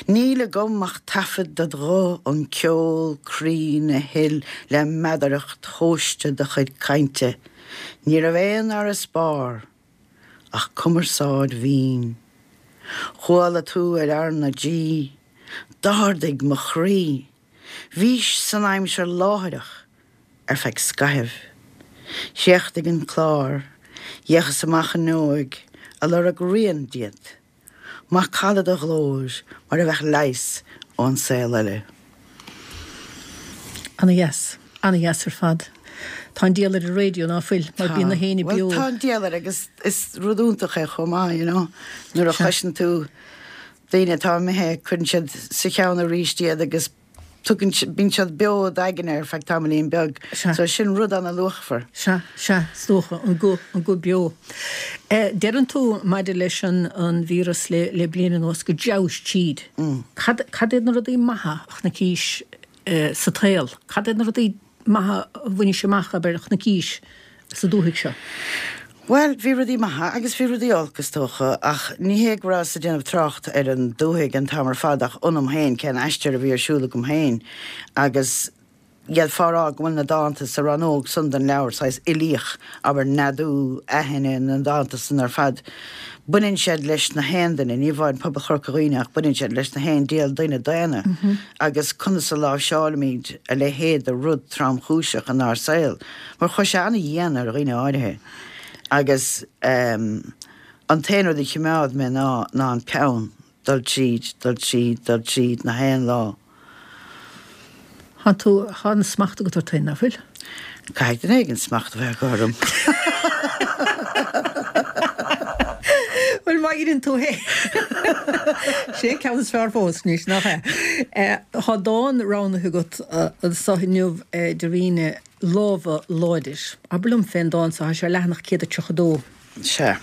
Níl agam ach taifead dod ghuth, an ceol cruinn a thuill le meadaracht thomhaiste do chuid cainte. Ní raibh aon fharasbarr ach cumarsáid mhín. Chuala tú ar R na G. D'ardaigh mo chroí. Bhís san aimsir láithreach ar feadh scaithimh. Chríochnaigh an clár. D'fhéachas amach an fhuinneog ag lorg rian díot. Macalla do ghlóir mar a bheadh leigheas ón saol eile. Ana dheas. Ana dheas ar fad. Tá an diabhal ar an raidió ná fuil, mar bíonn na héinne Bhuel beo. tá an diabhal air agus is rud iontach é chomh maith, you know. Nuair a Sea. chloiseann tú daoine atá imithe, cuireann siad sa cheann arís iad agus tugann, bíonn siad beo i d'aigne ar feadh tamaillín beag. Sea. So sin rud ana-luachmhar. Sea, sea, is dócha, an guth, an guth beo. Eh, deireann tú maidir leis an, an víreas le, le bliain anuas go dteabhais tríd. Cad, cad iad na rudaí maithe a chonaicis eh, sa tsaol? Cad iad na rudaí maithe a bhainis amach, abair, a chonaicis sa dúthaigh seo? Bhuel, bhí rudaí maithe agus bhí rudaí olc, is dócha, ach ní hé go rabhas ag déanamh trácht ar an dúthaigh an t-am ar fad ach ionam féin, cén aistear a bhí ar siúl agam féin agus d'fhéadfá a rá go bhfuil na dánta sa rannóg san den leabhar saghas uilíoch, abair, neadú, aithne, na dánta san ar fad. Baineann siad leis na haon duine, ní amháin pobal Chorca Dhuibhne ach baineann siad leis na haon diabhal duine daonna agus conas a láimhseálaimid a leithéid de rud tromchúiseach inár saol mar chuir sé ana-dhian ar dhaoine áirithe agus an t-aon rud a chimeád mé ná ná an peann, dul tríd, dul tríd, dul tríd na haon lá. Tá tú, tá an smacht agat ort féin, ná fuil? Caithfidh duine éigin smacht a bheith acu orm. Bhuel, má dheineann tú é. Sé an ceann is fearr fós anois, nach ea? Tá dán roghnaithe agat anso inniu, a Dharina, Lámha Láidir. Abair liom fén dán so, tá sé ar leathanach céad a tríocha dó. Sea.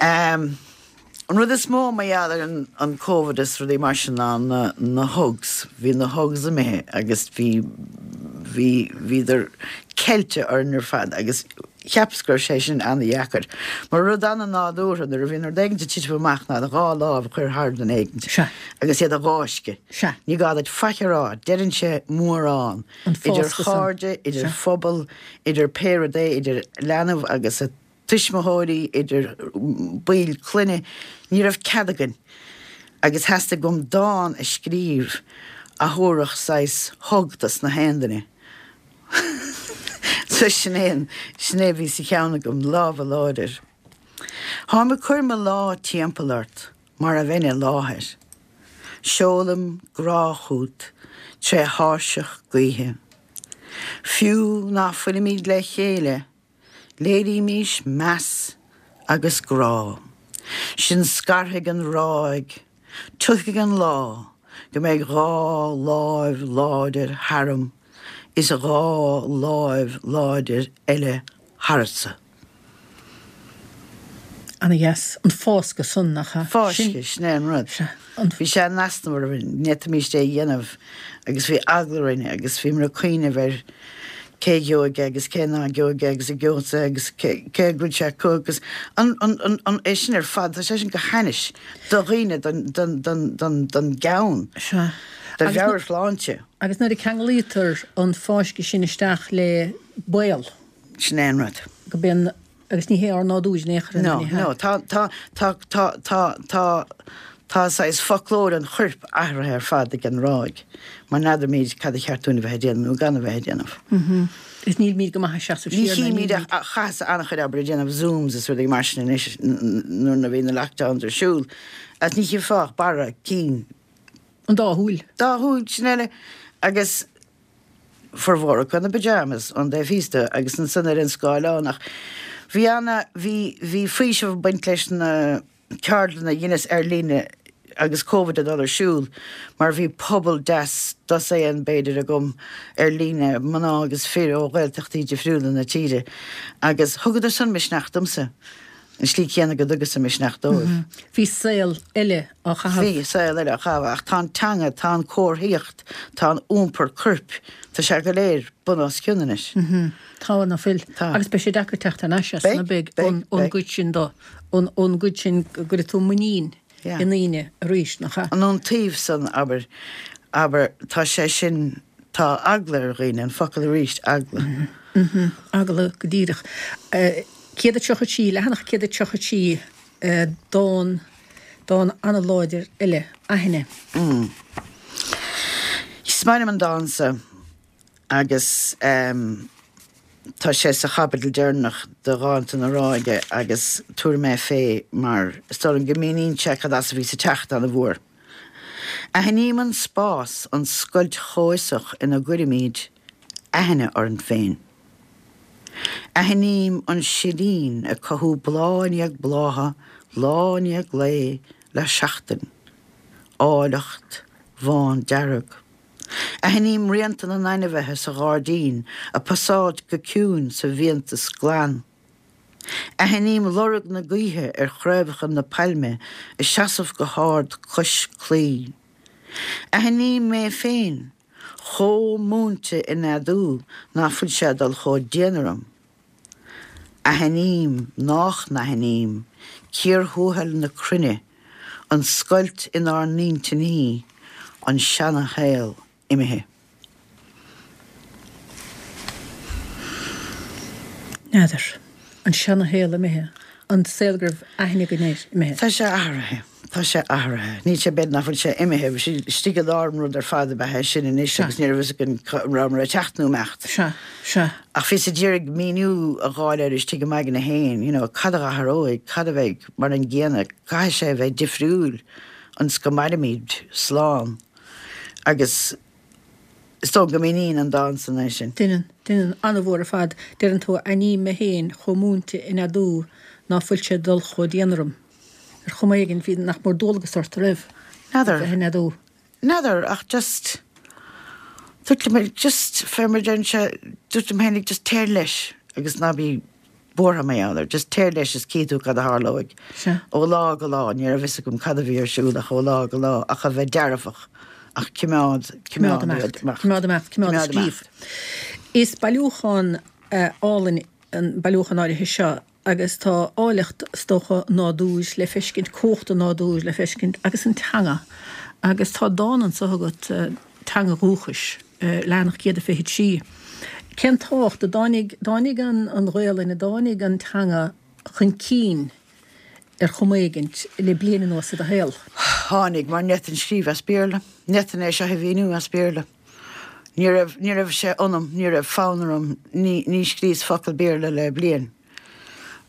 An rud is mó mar gheall ar an Covid is rudaí mar sin ná na na hugs. Bhí na hugs imithe agus bhí bhí bhíodar ceilte orainn ar fad agus cheapas go raibh sé sin an-dheacair. Mar rud an-nádúrtha nuair a bhíonn rud éigin ag titim amach ná do dhá lámh a chur thar duine éigin agus iad a dh'fháisceadh. Ní gá duit faic a rá, deireann sé mórán. Idir chairde, idir phobal, idir pé rud é, idir leanbh agus a tuismitheoirí, idir baill clainne, ní raibh cead againn agus theastaigh uaim dán a scríobh a thabharfadh saghas hug dos na haon duine. So sin é an, sin é a bhí sa cheann agam, lámha láidir. Táim ag cur mo lámh timpeall ort mar a bheinn i láthair. Seolaim grá chugat tré thairseach gaoithe. Fiú ná fuilimid le chéile, Léirímís meas agus grá. Sinn scartha ag an ráig, tiocfaidh an lá go mbeidh dhá láimh láidir tharam is dhá láimh láidir eile tharatsa. Ana dheas. An fáscadh san, nach ea? Fáisceadh, sin é an rud. Sea. An. Bhí sé in easnamh orainn, ní fhéadfaimis é a dhéanamh agus bhí eagla orainn agus bhíomar ag cuimhneamh ar cé a gheobhaidh é agus cé ná gheobhaidh é agus an gheobhadsa é agus cé cé go bhfuil sé acu agus an an an an é sin ar fad, tá sé sin go hainnis do dhaoine, don don don don don gceann, Sea. do Agus nu. mheabhairshláinte. Agus nuair a ceanglaítear an fáisceadh sin isteach le baol. Sin é an rud. Go bíonn Agus ní hé ár nádúr in aon chor é, No, ní hea. no, tá, tá, tá, tá, tá, tá, tá saghas foclóir an choirp athraithe ar fad ag an ráig, mar n'fheadaraimid cad a cheart dúinn a bheith ag déanamh nó gan a bheith ag déanamh. Is nílimid go maith ag seasamh Ní siar ná chímid nílimid. ach, chaitheas an-chuid oibre ag déanamh Zooms is rudaí mar sin anois nuair a bhí na lockdowns ar siúl, agus ní chífeá ach barra cinn. An dá shúil. Dá shúil, sin eile. Agus. formhór acu ina bpyjamas ón dtaobh thíos de agus ansan ar an scáileán ach bhí ana, bhí, bhí faoiseamh ag baint leis na ceardlanna a dheineas ar líne agus Covid ag dul ar siúl mar bhí pobal deas, dosaen b'fhéidir agam ar líne, mná agus fir ó Ghaeltachtaí difriúla na tíre agus thugadar san misneach domsa. An slí chéanna go dtugasa misneach dóibh. Bhí saol eile á chaitheamh. Bhí saol eile á chaitheamh ach tá an teanga, tá an comharthaíocht, tá an iompar coirp, tá sé go léir bun os cionn anois. Tá, ná fuil? Tá. Agus beidh sé deacair teacht thar n-ais as, Beidh, ná beidh, beidh, ón beidh. gcuid sin do, ón gcuid sin go gcuirfidh tú muinín Yeah. i ndaoine arís, nach ea? An ón taobh san, abair, abair, tá sé sin, tá eagla ar dhaoine, an focal arís, eagla. Eagla go díreach. céad a tríocha trí, leathanach céad a tríocha trí, dán, dán an-láidir eile, Aithne. Is maith liom an dán seo agus tá sé sa chaibidil deireanach de Dhánta na Ráige agus tabharfaidh mé fé mar is dóigh liom go míníonn sé cad as a bhíos ag teacht an-mhór. Aithním an spás, an scoilt chomhfhiosach ina gcuirimid aithne orainn féin. Aithním an silín ag cothú bláth i ndiaidh blátha, lá i ndiaidh lae, le seachtain. Áilleacht bhándearg. Aithním rianta na n-ainmhithe sa ghairdín ag pasáilt go ciúin sa bhfiántas glan. Aithním lorg na gaoithe ar chraobhacha na pailme ag seasamh go hard cois claí. Aithním mé féin, chomh múinte i neadú ná fuil sé ag dul chomh dian orm. Aithním nách n-aithním cíor thuathail na cruinne, an scoilt inár n-intinní, an seana-shaol imithe. N'fheadar. An seana-shaol imithe? An saol go raibh aithne againn air imithe? Tá sé athraithe. Tá sé athraithe. Níl sé b'fhéidir nach bhfuil sé imithe. Bhí sé istigh i lár an rud ar fad ab ea é sin anois Sea. agus ní raibh fhios againn cá rabhamar ag teacht nó imeacht. Sea. Sea. Ach bhíos ag iarraidh míniú a dh'fháil air istigh i m'aigne féin, you know, cad a athróidh, cad a bheidh mar an gcéanna, caithfidh sé a bheith difriúil ionas go mairimid slán. Agus is dóigh go míníonn an dán san é sin. Deineann, deineann, an-mhór ar fad. Deireann tú, aithním mé féin chomh múinte in neadú ná fuil sé ag dul chomh dian orm. Ar chuma éigin, bhí nach mór dualgas ort, a raibh? N'fheadar. Bheith in neadú. N'fheadar, ach just, dúirt liom, just, fé mar a deireann sé, dúirt liom féinig, just téir leis agus ná bí buartha mar gheall air, just téir leis is cífidh tú cad a tharlóidh. Sea. Ó lá go lá, ní raibh fhios agam cad a bhí ar siúl ach ó lá go lá, ach a bheith dearfach. ach cimeád, Cimeád imeacht. Cimeád imeacht, cimeád ag scríobh. Is bailiúchán álainn an bailiúchán áirithe seo agus tá áilleacht, is dócha, nádúir le feiscint, cumhacht an nádúir le feiscint agus an teanga. Agus tá dán anso agat, Teanga Dhúchais, leathanach céad a fiche trí. Cén tábhacht a dtáinig, dtáinig an an Ghaelainn, a dtáinig an teanga chun cinn ar chuma éigint le bliain anuas i do shaol? Tháinig, mar ní fhéadfainn scríobh as Béarla. Ní fhéadfainn é seo a mhíniú as Béarla. Ní raibh, ní raibh sé ionam, ní raibh fonn orm, ní, ní scríos focal Béarla le bliain.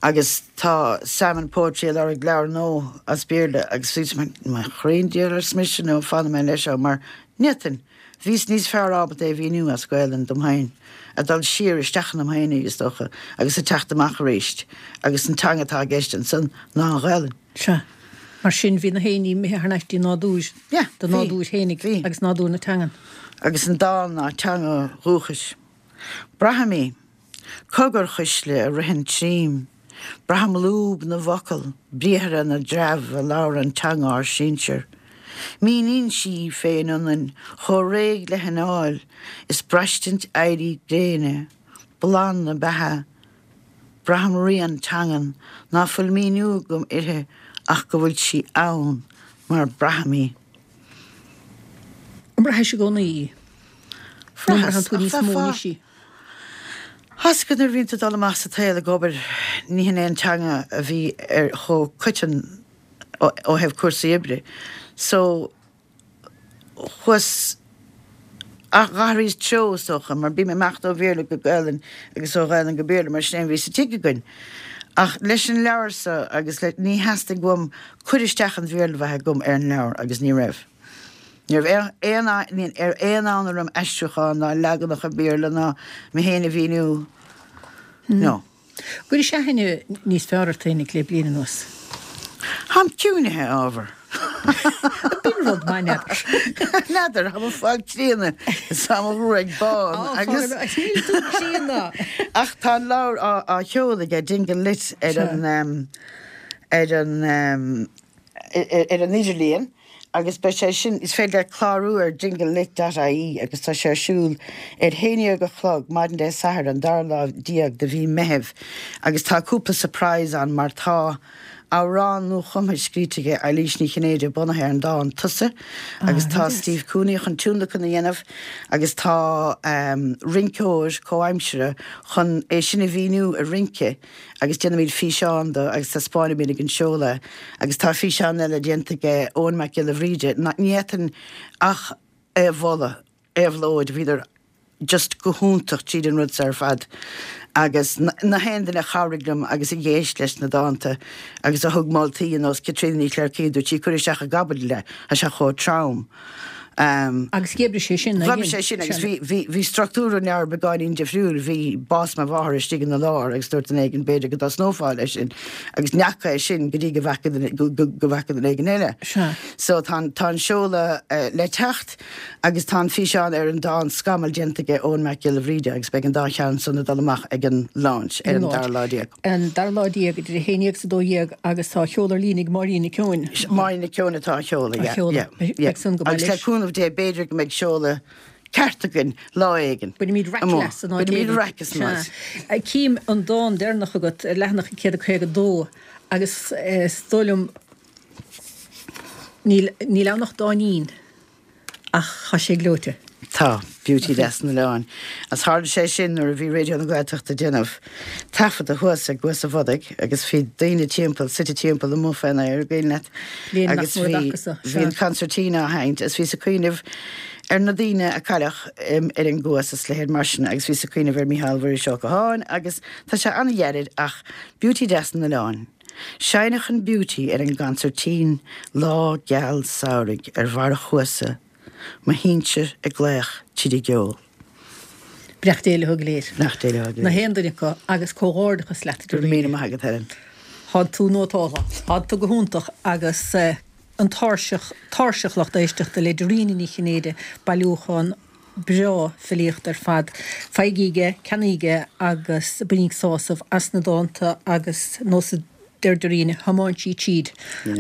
Agus tá Salmon Poetry ag lorg leabhar nua as Béarla agus bhíos mar, mo chroí 'on diabhal arsa mise nó fanfaidh mé leis seo mar ní fhéadfainn. Bhíos níos fearr ábalta é a mhíniú as Gaelainn dom féin, a dul siar isteach ionam féinig is dócha agus a teacht amach aríst agus an teanga atá i gceist ansan ná an Ghaelainn. Sea. Mar sin bhí na héinní imithe thar n-ais dtí nádúr, Yeah, do bhí, nádúr fhéinig bhí. agus nádúr na teangan. Agus an dán ná teanga dhúchais. Braithim í. Cogarchuisle a ritheann tríom. Braithim lúb na bhfocal, briathra na dtreabh a labhrann teanga ár sinsear. Míníonn sí í féin ionainn chomh réidh le hanáil is braistint éirí gréine, bláth na beatha. Braithim rian teangan ná fuil míniú agam uirthi ach go bhfuil sí ann mar braithim í. An mbraithis i gcónaí í? Nó an mbraitheann tú níos mó anois í? Tá 's agat nuair a bhíonn tú ag dul amach sa tsaol ag obair, ní hin é an teanga a bhí ar chomh coiteann ó thaobh cúrsaí oibre. So, chuas, ach dh'athraíos treo is dócha, mar bím ag imeacht ó Bhéarla go Gaelainn agus ó Ghaelainn go Béarla mar sin é a bhí sa tigh againn. Ach leis an leabhar so agus le, ní theastaigh uaim cur isteach an Bhéarla a bheith agam ar an leabhar agus ní raibh. Ní raibh aon, ní raibh aon fhonn orm aistriúchán ná leaganacha Béarla ná mé féin a mhíniú. No. Gcuiris aithne níos fearr ort féinig le bliain anuas? Táim ciúinithe ábhar. B'in rud maith, n'fheadar. N'fheadar, táim ag fáil críonna is tá mo ghruaig bán agus. Níl tú críonna! Ach tá an leabhar á sheoladh aige Dingle Lit ar an ar an ar an idirlíon agus beidh sé sin, is féidir leat clárú ar dingle lit dot ie agus tá sé ar siúl ar haon déag a chlog maidin Dé Sathairn an dara lá déag de mhí Meithimh agus tá cúpla surprise ann mar tá amhrán nuachumtha scríte aige Eilís Ní Chinnéide bunaithe ar an dán Tusa agus tá Steve Cooney chun tionlacan a dhéanamh agus tá rinceoir comhaimseartha chun é sin a mhíniú i rince agus déanfaimid físeán de agus taispeánfaimid ag an seoladh agus tá físeán eile déanta aige Eoin Mac Giolla Bhríde ní fhéadfainn ach é a mholadh, éabhlóid, bhíodar just go hiontach tríd an rud seo ar fad agus na haon duine a chabhraigh liom agus a d'éist leis na dánta agus a thug moltaí ar nós Caitríona Ní Chléirchín, dúirt sí cuir isteach i gcaibidil é, tá sé chomh trom. Agus dh'oibrigh sé sin, Dh'oibrigh sé sin agus bhí, bhí, bhí struchtúr an leabhair beagáinín difriúil, bhí bás mo mháthar istigh ina lár agus dúirt duine éigin b'fhéidir go dtosnófá leis sin agus ní fhaca é sin go dtí go bhfaca duine, go, go, go bhfaca duine éigin eile. Sea. So tá an, tá an seoladh le teacht agus tá an físeán ar an dán Scamall déanta aige Eoin Mac Giolla Bhríde agus beidh an dá cheann san ag dul amach ag an launch ar an dara lá déag. An dara lá déag idir a haon déag is a dó dhéag agus tá á sheoladh ar líne ag Máirín Nic Eoin. Máirín Nic Eoin atá á sheoladh, yeah, yeah, yeah. Beidh san go maith Agus le leis. cúnamh Dé b'fhéidir go mbeidh seoladh ceart againn lá éigin. Bainfimid raic Amuigh. leat san áit Bainfimid éigin. raic as an áit. Sea. Cím an dán deireanach agat ar leathanach céad a caoga dó agus is dóigh liom níl, níl ann ach dáinín ach tá sé gleoite. Tá, Beauty Deas an Oileáin. Agus tharla sé sin nuair a bhí Raidió na Gaeltachta ag déanamh taifeadadh thuas ag Cuas an Bhodaigh agus bhí daoine timpeall, suite timpeall amuigh fén aer, an cuimhin leat, Bliain nach agus mór bhí, d'acu-sa, bhí an sea. concertina á sheinnt agus bhíos ag cuimhneamh ar na daoine a cailleadh ar an gcuas is leithéid mar sin agus bhíos ag cuimhneamh ar Mícheál Mhuiris Ó Catháin agus tá sé an-ghairid ach Beauty Deas an Oileáin. Seinneadh an Beauty ar an gconsairtín lá geal samhraidh ar bharr an chuasa, mo shinsir ag glaoch tríd an gceol. Beannacht Dé leo go léir. Beannacht Dé leo go léir. Na haon duine acu agus comhghairdeachas leat Go raibh míle maith agat Helen. Tá tú nótáltha. Tá tú go hiontach agus an tairseach, tairseach lucht éisteachta le Dairena Ní Chinnéide, bailiúchán breá filíochta ar fad. Faighigí é, ceannaígí é agus bainigí sásamh as na dánta agus nós Deir Doreen, thiomáin sí tríd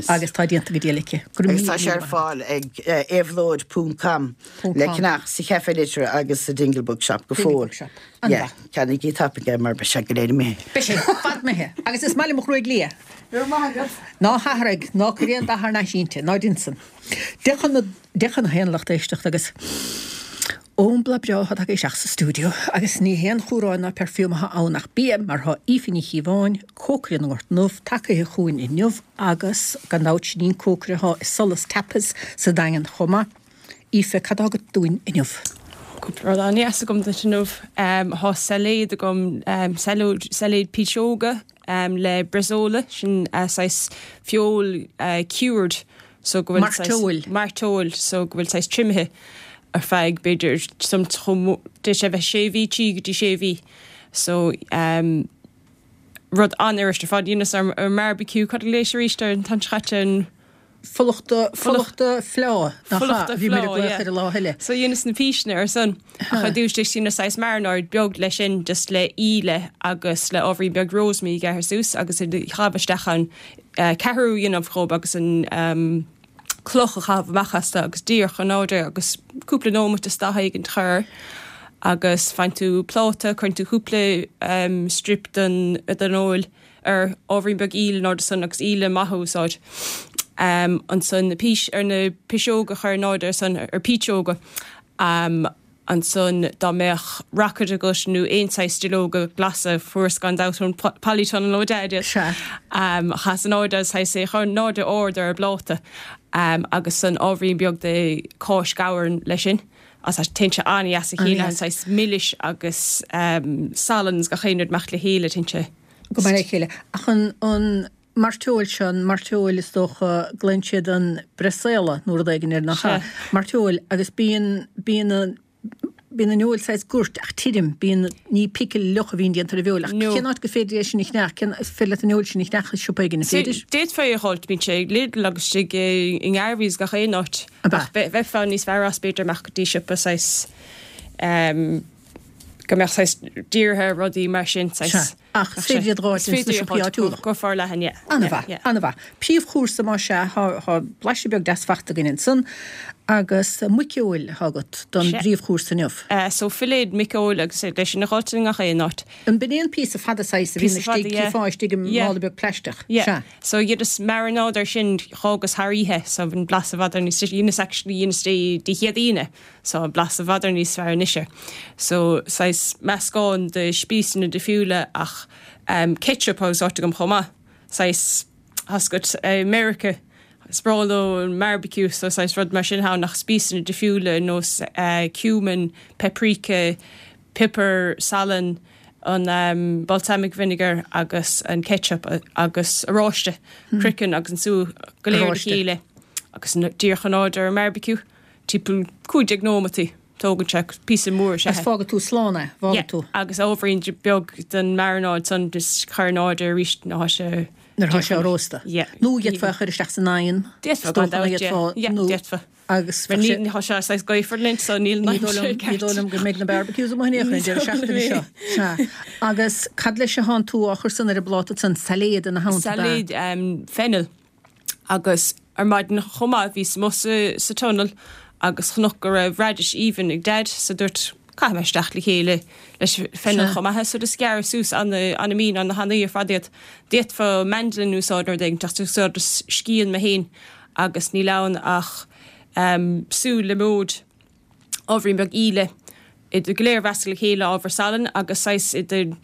agus tá déanta go diail aici. Go raibh Agus tá míle sé ar míle maith. fáil ag éabhlóid ponc com Ponc le com. ceannach sa Café Liteartha agus sa Dingle Bookshop go Dingle fóill. Bookshop. Yeah, An-mhaith. ceannaigí tapaidh é mar beidh sé go léir imithe. Beidh sé fad imithe agus is maith liom mo ghruaig liath. Go raibh maith agat. Ná hathraigh, ná cuir aon dath thar n-ais inti, ná déan san. Deich chun na, deich chun a haon lucht éisteachta agus ón bláth breá atá tagtha isteach sa stiúideo agus ní haon chumhrán ná perfume atá ann ach bia mar tá Aoife Ní Chíobháin, cócaire na nGort nDubh, tagaithe chugainn inniu agus gan dabht sin í an cócaire atá i Solas Tapas sa Daingean chomh maith. Aoife, cad tá agat dúinn inniu? Cúpla rud an-dheas agam duit inniu. Tá sailéad agam, sailéad piseoga le bresaola, sin saghas feoil cured so go bhfuil saghas Mairteoil. Mairteoil so go bhfuil saghas triomaithe ar feadh b'fhéidir some chomh d'fhéadfadh sé bheith sé mhí, trí go dtí sé mhí. So um, rud an-fhuirist ar fad dheineas ar ar barbecue cad a léis arís ar an tan seo caite an Fulachta fulachta fleá nach Fulachta ea? Bhí mé ag fleá, glaoch yeah. ar an lá eile. So dheineas na píseanna ar son ach ar dtús dheineas saghas marinade beag leis sin just le íle agus le ábhairín beag rosemary gearrtha suas agus i chaitheamh isteach an uh, ceathrú a dhéanamh dhób agus an um, cloch a chaitheamh amach astu agus díreach in airde agus cúpla nóiméad is daichead éigin a chur agus faigheann tú pláta, cuireann tú cúpla um, strip den den fheoil ar ábhairín beag íle in airde san agus íle maith a úsáid. Um, ansan na pís ar na piseoga chur in airde ar san ar píseoga. Um, ansan dá mbeadh rocket agat nó aon saghas duilleoga glasa fuaireas gan dabht ón polytunnel ó Dad. Sea. Um, chas in airde saghas é chur in airde ard ar an bpláta. Um, agus san ábhairín beag de cáis gabhair leis sin. As a téann sé an-dheas a chéile an An-dheas. saghas milis agus um, salann is gach aon rud amach le chéile téann sé. Go maith le chéile. Ach an an mairteoil seo, an mairteoil is dócha glaonn siad an bresaola nó rud éigin air nach ea? Sea. Mairteoil agus bíonn bíonn an bíonn an fheoil saghas goirt ach tirim, bíonn ní pickle fhliuch a bhíonn déanta ar an bhfeoil. Ach No. cén áit gur féidir é sin a cheannach, cén is féidir leat an fheoil sin a cheannach i siopa éigin, an féidir? D'fhéadfá é a dh'fháilt, bíonn sé ag Lidl agus istigh i i nGarveys gach aon áit. Ab ea? Ach bhe- bheifeá níos fearr as b'fhéidir amach go dtí siopa saghas um, go mbeadh saghas dírithe ar rudaí mar sin saghas. Sea. Ach is féidir iad a dh'fháilt Is féidir ins na iad a siopaí dh'fháilt áitiúla. go forleathan, yeah. An-mhaith, Yeah, yeah. an-mhaith. Príomhchúrsa má sea, thá thá blaiseadh beag deas fachta againn ansan agus muiceoil atá agat don Sea. bpríomhchúrsa inniu. Uh, so filléad muiceoil agus é leis sin a dh'fháilt i ngach aon áit. An b'in é an píosa fada saghas a bhíonn Píosa fada, istigh, yeah. cífeá istigh i Yeah. mála beag plaisteach. Yeah. Sea. So dheineas marinade ar sin d'fhágas thar oíche, so bhí an blas i bhfad ar níos dheineas actually dheineas dé dé Céadaoine, so an blas i bhfad ar níos fearr anois. So saghas meascán de spíosraí difriúla ach um, ketchup a úsáid agam chomh maith. Saghas hascut uh, America is breá leo an barbecue so saghas rud mar sin ann ach spíosraí difriúla nós uh, cumin, paprika, pepper, salann, an um, balsamic vinegar agus an ketchup a- agus oráiste hmm. craiceann agus an sú go léir le Oráiste. chéile agus na- díreach in airde ar an barbecue timpeall cúig déag nóimeataí tógann sé píosa mór sé. Agus fágann tú slán é, fágann Yeah, tú. agus ábhairín beag den marinade san just chur in airde arís nuair atá sé Nuair atá sé á róstadh. Yeah. Nó d'fhéadfá a chur isteach san oigheann. D'fhéadfá Is gan dócha dabht, d'fhéadfá, yeah. Yeah, nó- d'fhéadfá. Agus Mar bheadh ní sé- ní tá sé saghas gaofar linn so níl Ní dóigh liom- ní dóigh liom go mbeidh na barbecues amuigh in aon chor an deireadh seachtaine seo. Sea. Agus cad leis a thánn tú á chur san ar an bpláta san sailéad ina theannta ba? Sailéad um, fennel agus ar maidin chomh maith bhíos amuigh sa, sa tunnel agus chonac go raibh radish aoibhinn ag Dad so dúirt caithfidh mé isteach le chéile leis fennel Sea. chomh maith so just gearr suas an an mín an na hanaí ar fad iad. D'fhéadfá mandolin úsáid nó rud ach úsáideas scian mé féin agus níl ann ach um, sú liomóid ábhairín beag íle iad go léir a mheascadh le chéile ábhar salann agus saghas idir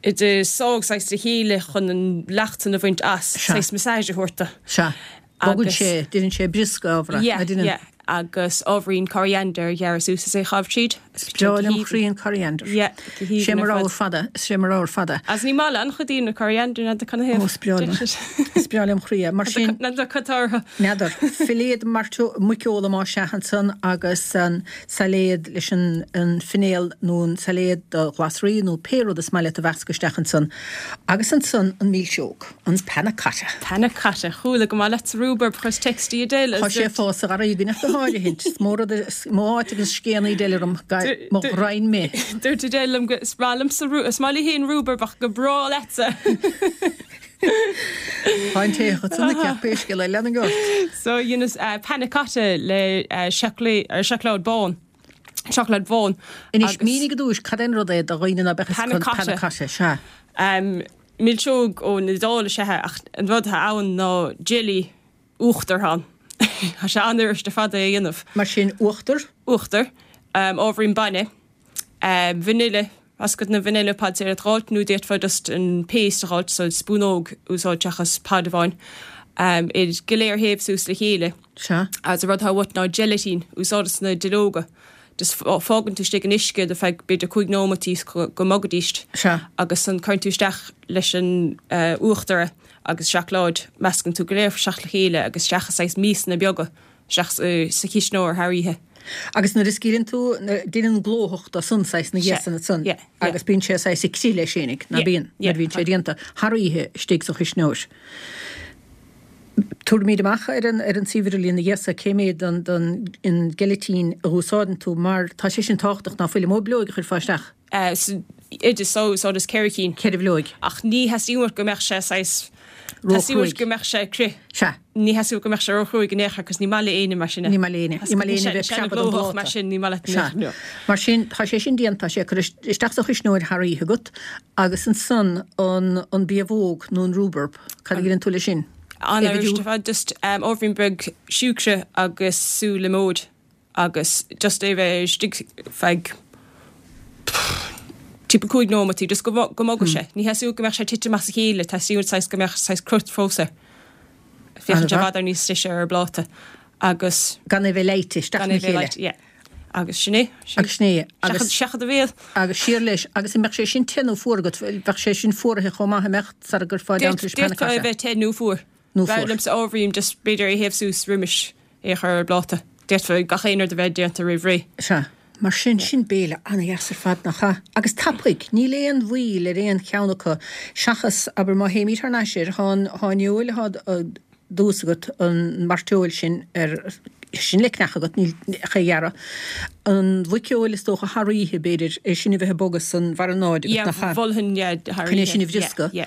idir sádh saghas le chéile chun an leacht san a bhaint as Sea. saghas massage a thabhairt dó. Sea. Bogann Agus- sé, déanann sé briosca ábhar. Yeah, yeah. agus ábhairín coriander ghearr suas is é chaitheamh tríd. Breá lem chroí an coriander. Yeah, go haoibhinn Sé mar ar ábhar fad. fada, sé mar ábhar fada. As ní maith le an-chuid daoine coriander na can Ó, is breá liom. Is breá lem chroí é. Mar sin, Na cotártha. N'fheadar, filléad muiceola má sea ansan agus an sailéad leis an, an finéal nó an sailéad do ghlasraí nó pé rud is maith leat a mheascadh isteach ansan. Agus ansan an milseog, an panna cotta. Panna cotta chuala go maith leat rhubarb chuir textí Adele. Tá sé fós a garraí go go háirithint. Is mór rud is mó áit agus scéanaí deilm mo rain mé. Dúirt Adele liom go is breá liomsa rú- is maith léi féin rhubarb ach go breá leatsa. Tá an té san ceap scéal eile lean ort. So dheineas panna cotta le seacláid bán. Seacláid bhán. Anois mínigh go dtús cad é an rud é do dhaoine ná beadh Panna cotta. Panna cotta, sea. Um, milseog ón Iodáil is ea ach an rud atá ann ná jelly uachtar ann. Tá sé an-fhuirist ar fad é a dhéanamh. Mar sin uachtar? Uachtar, um, ábhairín bainne, um, vanille, as na vanilla pods ar d'fháilt nó d'fhéadfá just an paste a dh'fháilt so spúnóg úsáid seachas pod amháin. Um, iad go léir théamh suas le chéile. Sea. Agus an rud atá uait ná gelatin úsáideas na duilleoga. Just fágann tú istigh in uisce do feadh b'fhéidir cúig nóimeataí go mbogaidíst. Sea. Agus an cuireann tú isteach leis an uh, uachtar agus seacláid meascann tú go léir isteach le chéile agus isteach i saghas miasanna beaga isteach sa chisneoir thar oíche. Agus nuair a scaoileann tú, déanann glóthach de san saghas na ghéasanna san agus bíonn sé saghas ag crith leis fhéinig, ná bíonn, nuair a bhíonn sé déanta thar oíche istigh sa chuisneoir. Tabharfaimid amach ar an ar an suíomh idirlín na ghéasa cé mhéad den den an geilitín a úsáideann tú mar tá sé sin tábhachtach ná fuil, an mó bileog a chuirfeá isteach? San oideas so úsáideas ceithre cinn. Ceithre bhileog. Ach ní theastaíonn uait go mbeadh sé saghas Theastaíonn uait go mbeadh sé crith. Sea. Ní theastaíonn uait go mbeadh sé róchruaidh in aon chor cos ní maith le éinne mar sin é. Ní maith le éinne. Ní maith le éinne bheith ag preabadh don Mar sin ní maith leat Sea. No. Mar sin tá sé sin déanta, tá sé curtha isteach sa chuisneoir thar oíche agat agus ansan an an biabhóg nó an rhubarb, cad a dheineann tú leis sin? An-fhuirist ar fad, just ábhairín beag siúcra agus sú liomóid agus just é bheith istigh feadh timpeall cúig nóimeataí, just go go mbogadh sé. Ní theastaíonn uait go mbeadh sé tite amach as a chéile, teastaíonn uait saghas go mbeadh saghas crut fós air. Féachann sé i bhfad níos deise ar an bpláta agus. Gan é bheith leáite isteach Gan é ina bheith chéile. leáite, yeah. Agus sin é. Sin. Agus sin é. Agus. Seachad seachad do bhéal. Agus siar leis. Agus an mbeadh sé sin te nó fuar agat? Bheadh sé sin fuaraithe chomh maith, an mbeadh, sara gcuirfeá i dteannta leis D'fhéadfadh é panna cotta? bheith te nó fuar. Nó B'fhearr fuar. liomsa ábhairín just b'fhéidir é théamh suas roimis é a chur ar an bpláta. D'fhéadfadh gach aon rud a bheith déanta roimh ré. Sea. Mar sin, sin béile ana-dheas ar fad, nach ea? Agus tapaidh, níl aon mhoill ar aon cheann acu, seachas, abair, má théimid thar n-ais air, thá an, thá an fheoil athá thuas agat, an mairteoil sin ar, sin le cneach agat, níl ach é a ghearradh. An mhuiceoil is dócha thar oíche, b'fhéidir, é sin a bheith ag bogadh san mharanáid agat, Yeah, nach ea? mholfainn, yeah, thar Chun é oíche, sin a yeah, bhrioscadh. yeah.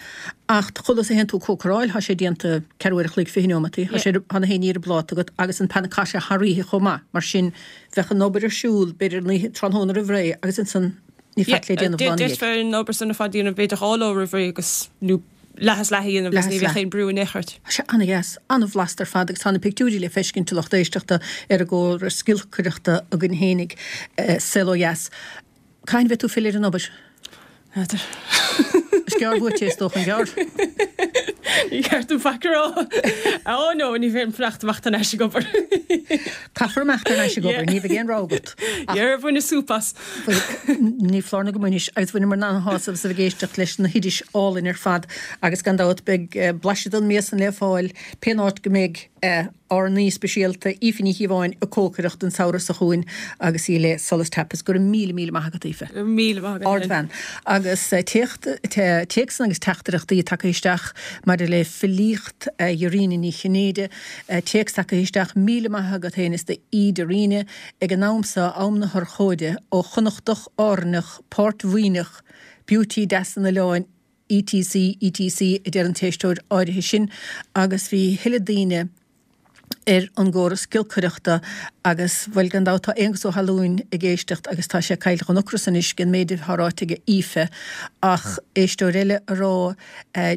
Ach chulas a théann tú ag cócaráil, thá sé déanta ceathrú uair a chloig, fiche neomataí, thá sé, thá na haon ní ar an bpláta agat agus an panna cotta thar oíche chomh maith, mar sin bheadh an obair ar siúl b'fhéidir an oíche, tráthnóna roimh ré agus ansan ní faic le déanamh lá ina dhiaidh. D'fhéadfá an obair san ar fad a dhéanamh b'fhéidir dhá lá roimh ré agus, nó leath is leath a dhéanamh agus Leath ní is bheadh leath. aon brú in aon chor ort. Tá sé an-dheas, an-bhlasta ar fad agus tá na pictiúirí le feiscint a lucht éisteachta ar an gcóras giolcaireachta againn fhéinig, Saol Ó Dheas. Cathain a bheidh tú ag filleadh ar an obair? N'fheadar. Is gearr uait é, is dócha, an gearr? Ní ceart dom faic a rá. Ó no, ní bheidh fanacht amach tar n-ais ag obair. Caithfear imeacht thar n-ais ag obair, ní bheidh aon rogha agat. Dhera bhaineas súp as. Ní foláir nó go mbainis, agus bhaineamar an-shásamh as a bheith ag éisteacht leis na hoidis álainn ar fad agus gan dabht beidh blaiseadh den mias san le fáil pén áit go mbeidh ár n-aoi speisialta, Aoife Ní Chíobháin, ag cócaireacht an samhradh seo chugainn agus í le Solas Tapas. Go raibh míle míle maith agat, Aoife. Go raibh míle maith agat. Ardbhean. Agus téacsanna agus teachtaireachtaí tagtha isteach maidir le filíocht Dhearóine Ní Chinnéide, téacs tagtha isteach, Míle maith agat féin is d'aoi Dairena ag an am seo, am na hurchóide, ó Chonnachtach, Árainneach, Páirt-Mhaoineach, Beauty deas an oileáin, etc etc a deir an t-éisteoir áirithe sin agus bhí a thuilleadh daoine ar an gcóras giolcaireachta agus, bhuel, gan dabht tá Aonghus Ó hAlúin ag éisteacht agus tá sé caillte den ocras anois den méid atá ráite ag Aoife ach éisteoir eile a rá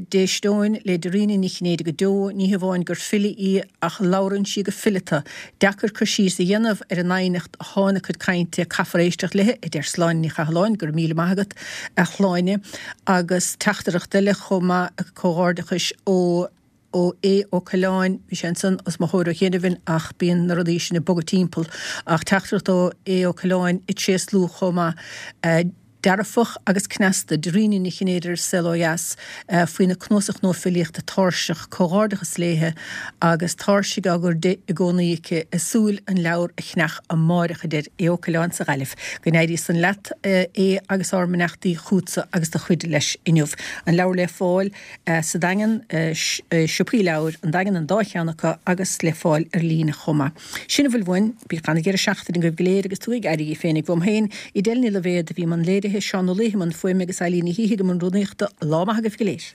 d'éisteoinn le Dairena Ní Chinnéide go deo, ní hamháin gur file í ach labhrann sí go fileata. Deacair cur síos a dhéanamh ar an doimhneacht atá ina cuid cainte, caithfear éisteacht léi, a deir Sláine Ní Chathalláin, go raibh míle maith agat, a Shláine. Agus teachtaireacht eile chomh maith, comhghairdeachais ó. ó Aodh Ó Coileáin, bhí sé ansan os mo chomhair ó chianaibh ach bíonn na rudaí sin ag bogadh timpeall, ach teachtaireacht ó Aodh Ó Coileáin ag tréaslú chomh maith, dearfach agus cneasta, Dairena Ní Chinnéide ar Saol Ó Dheas faoina cnuasach nua filíochta Tairseach, comhghairdeachas léithe agus tairsigh á gcur di i gcónaí aici, ag súil an leabhar a cheannach amáireach, a deir Aodh Ó Coileáin sa Ghaillimh. Go n-éirí san leat, a Aodh, agus ár mbeannachtaí chugatsa agus do chuid leis inniu. An leabhar le fáil. Sa Daingean, i siopaí leabhair an Daingean an dá cheann acu agus le fáil ar líne chomh maith. Sin a bhfuil uainn. Bíodh ana-dheireadh seachtaine agaibh go léir agus tugaigí aire daoibh féinig. Uaim féin, Edel Ní Loibhéad a bhí i mbun léirithe, Seán Ó Laoithe i mbun fuaime agus Eilín Ní Shíthigh i mbun rúnaíochta. Lá maith agaibh go léir.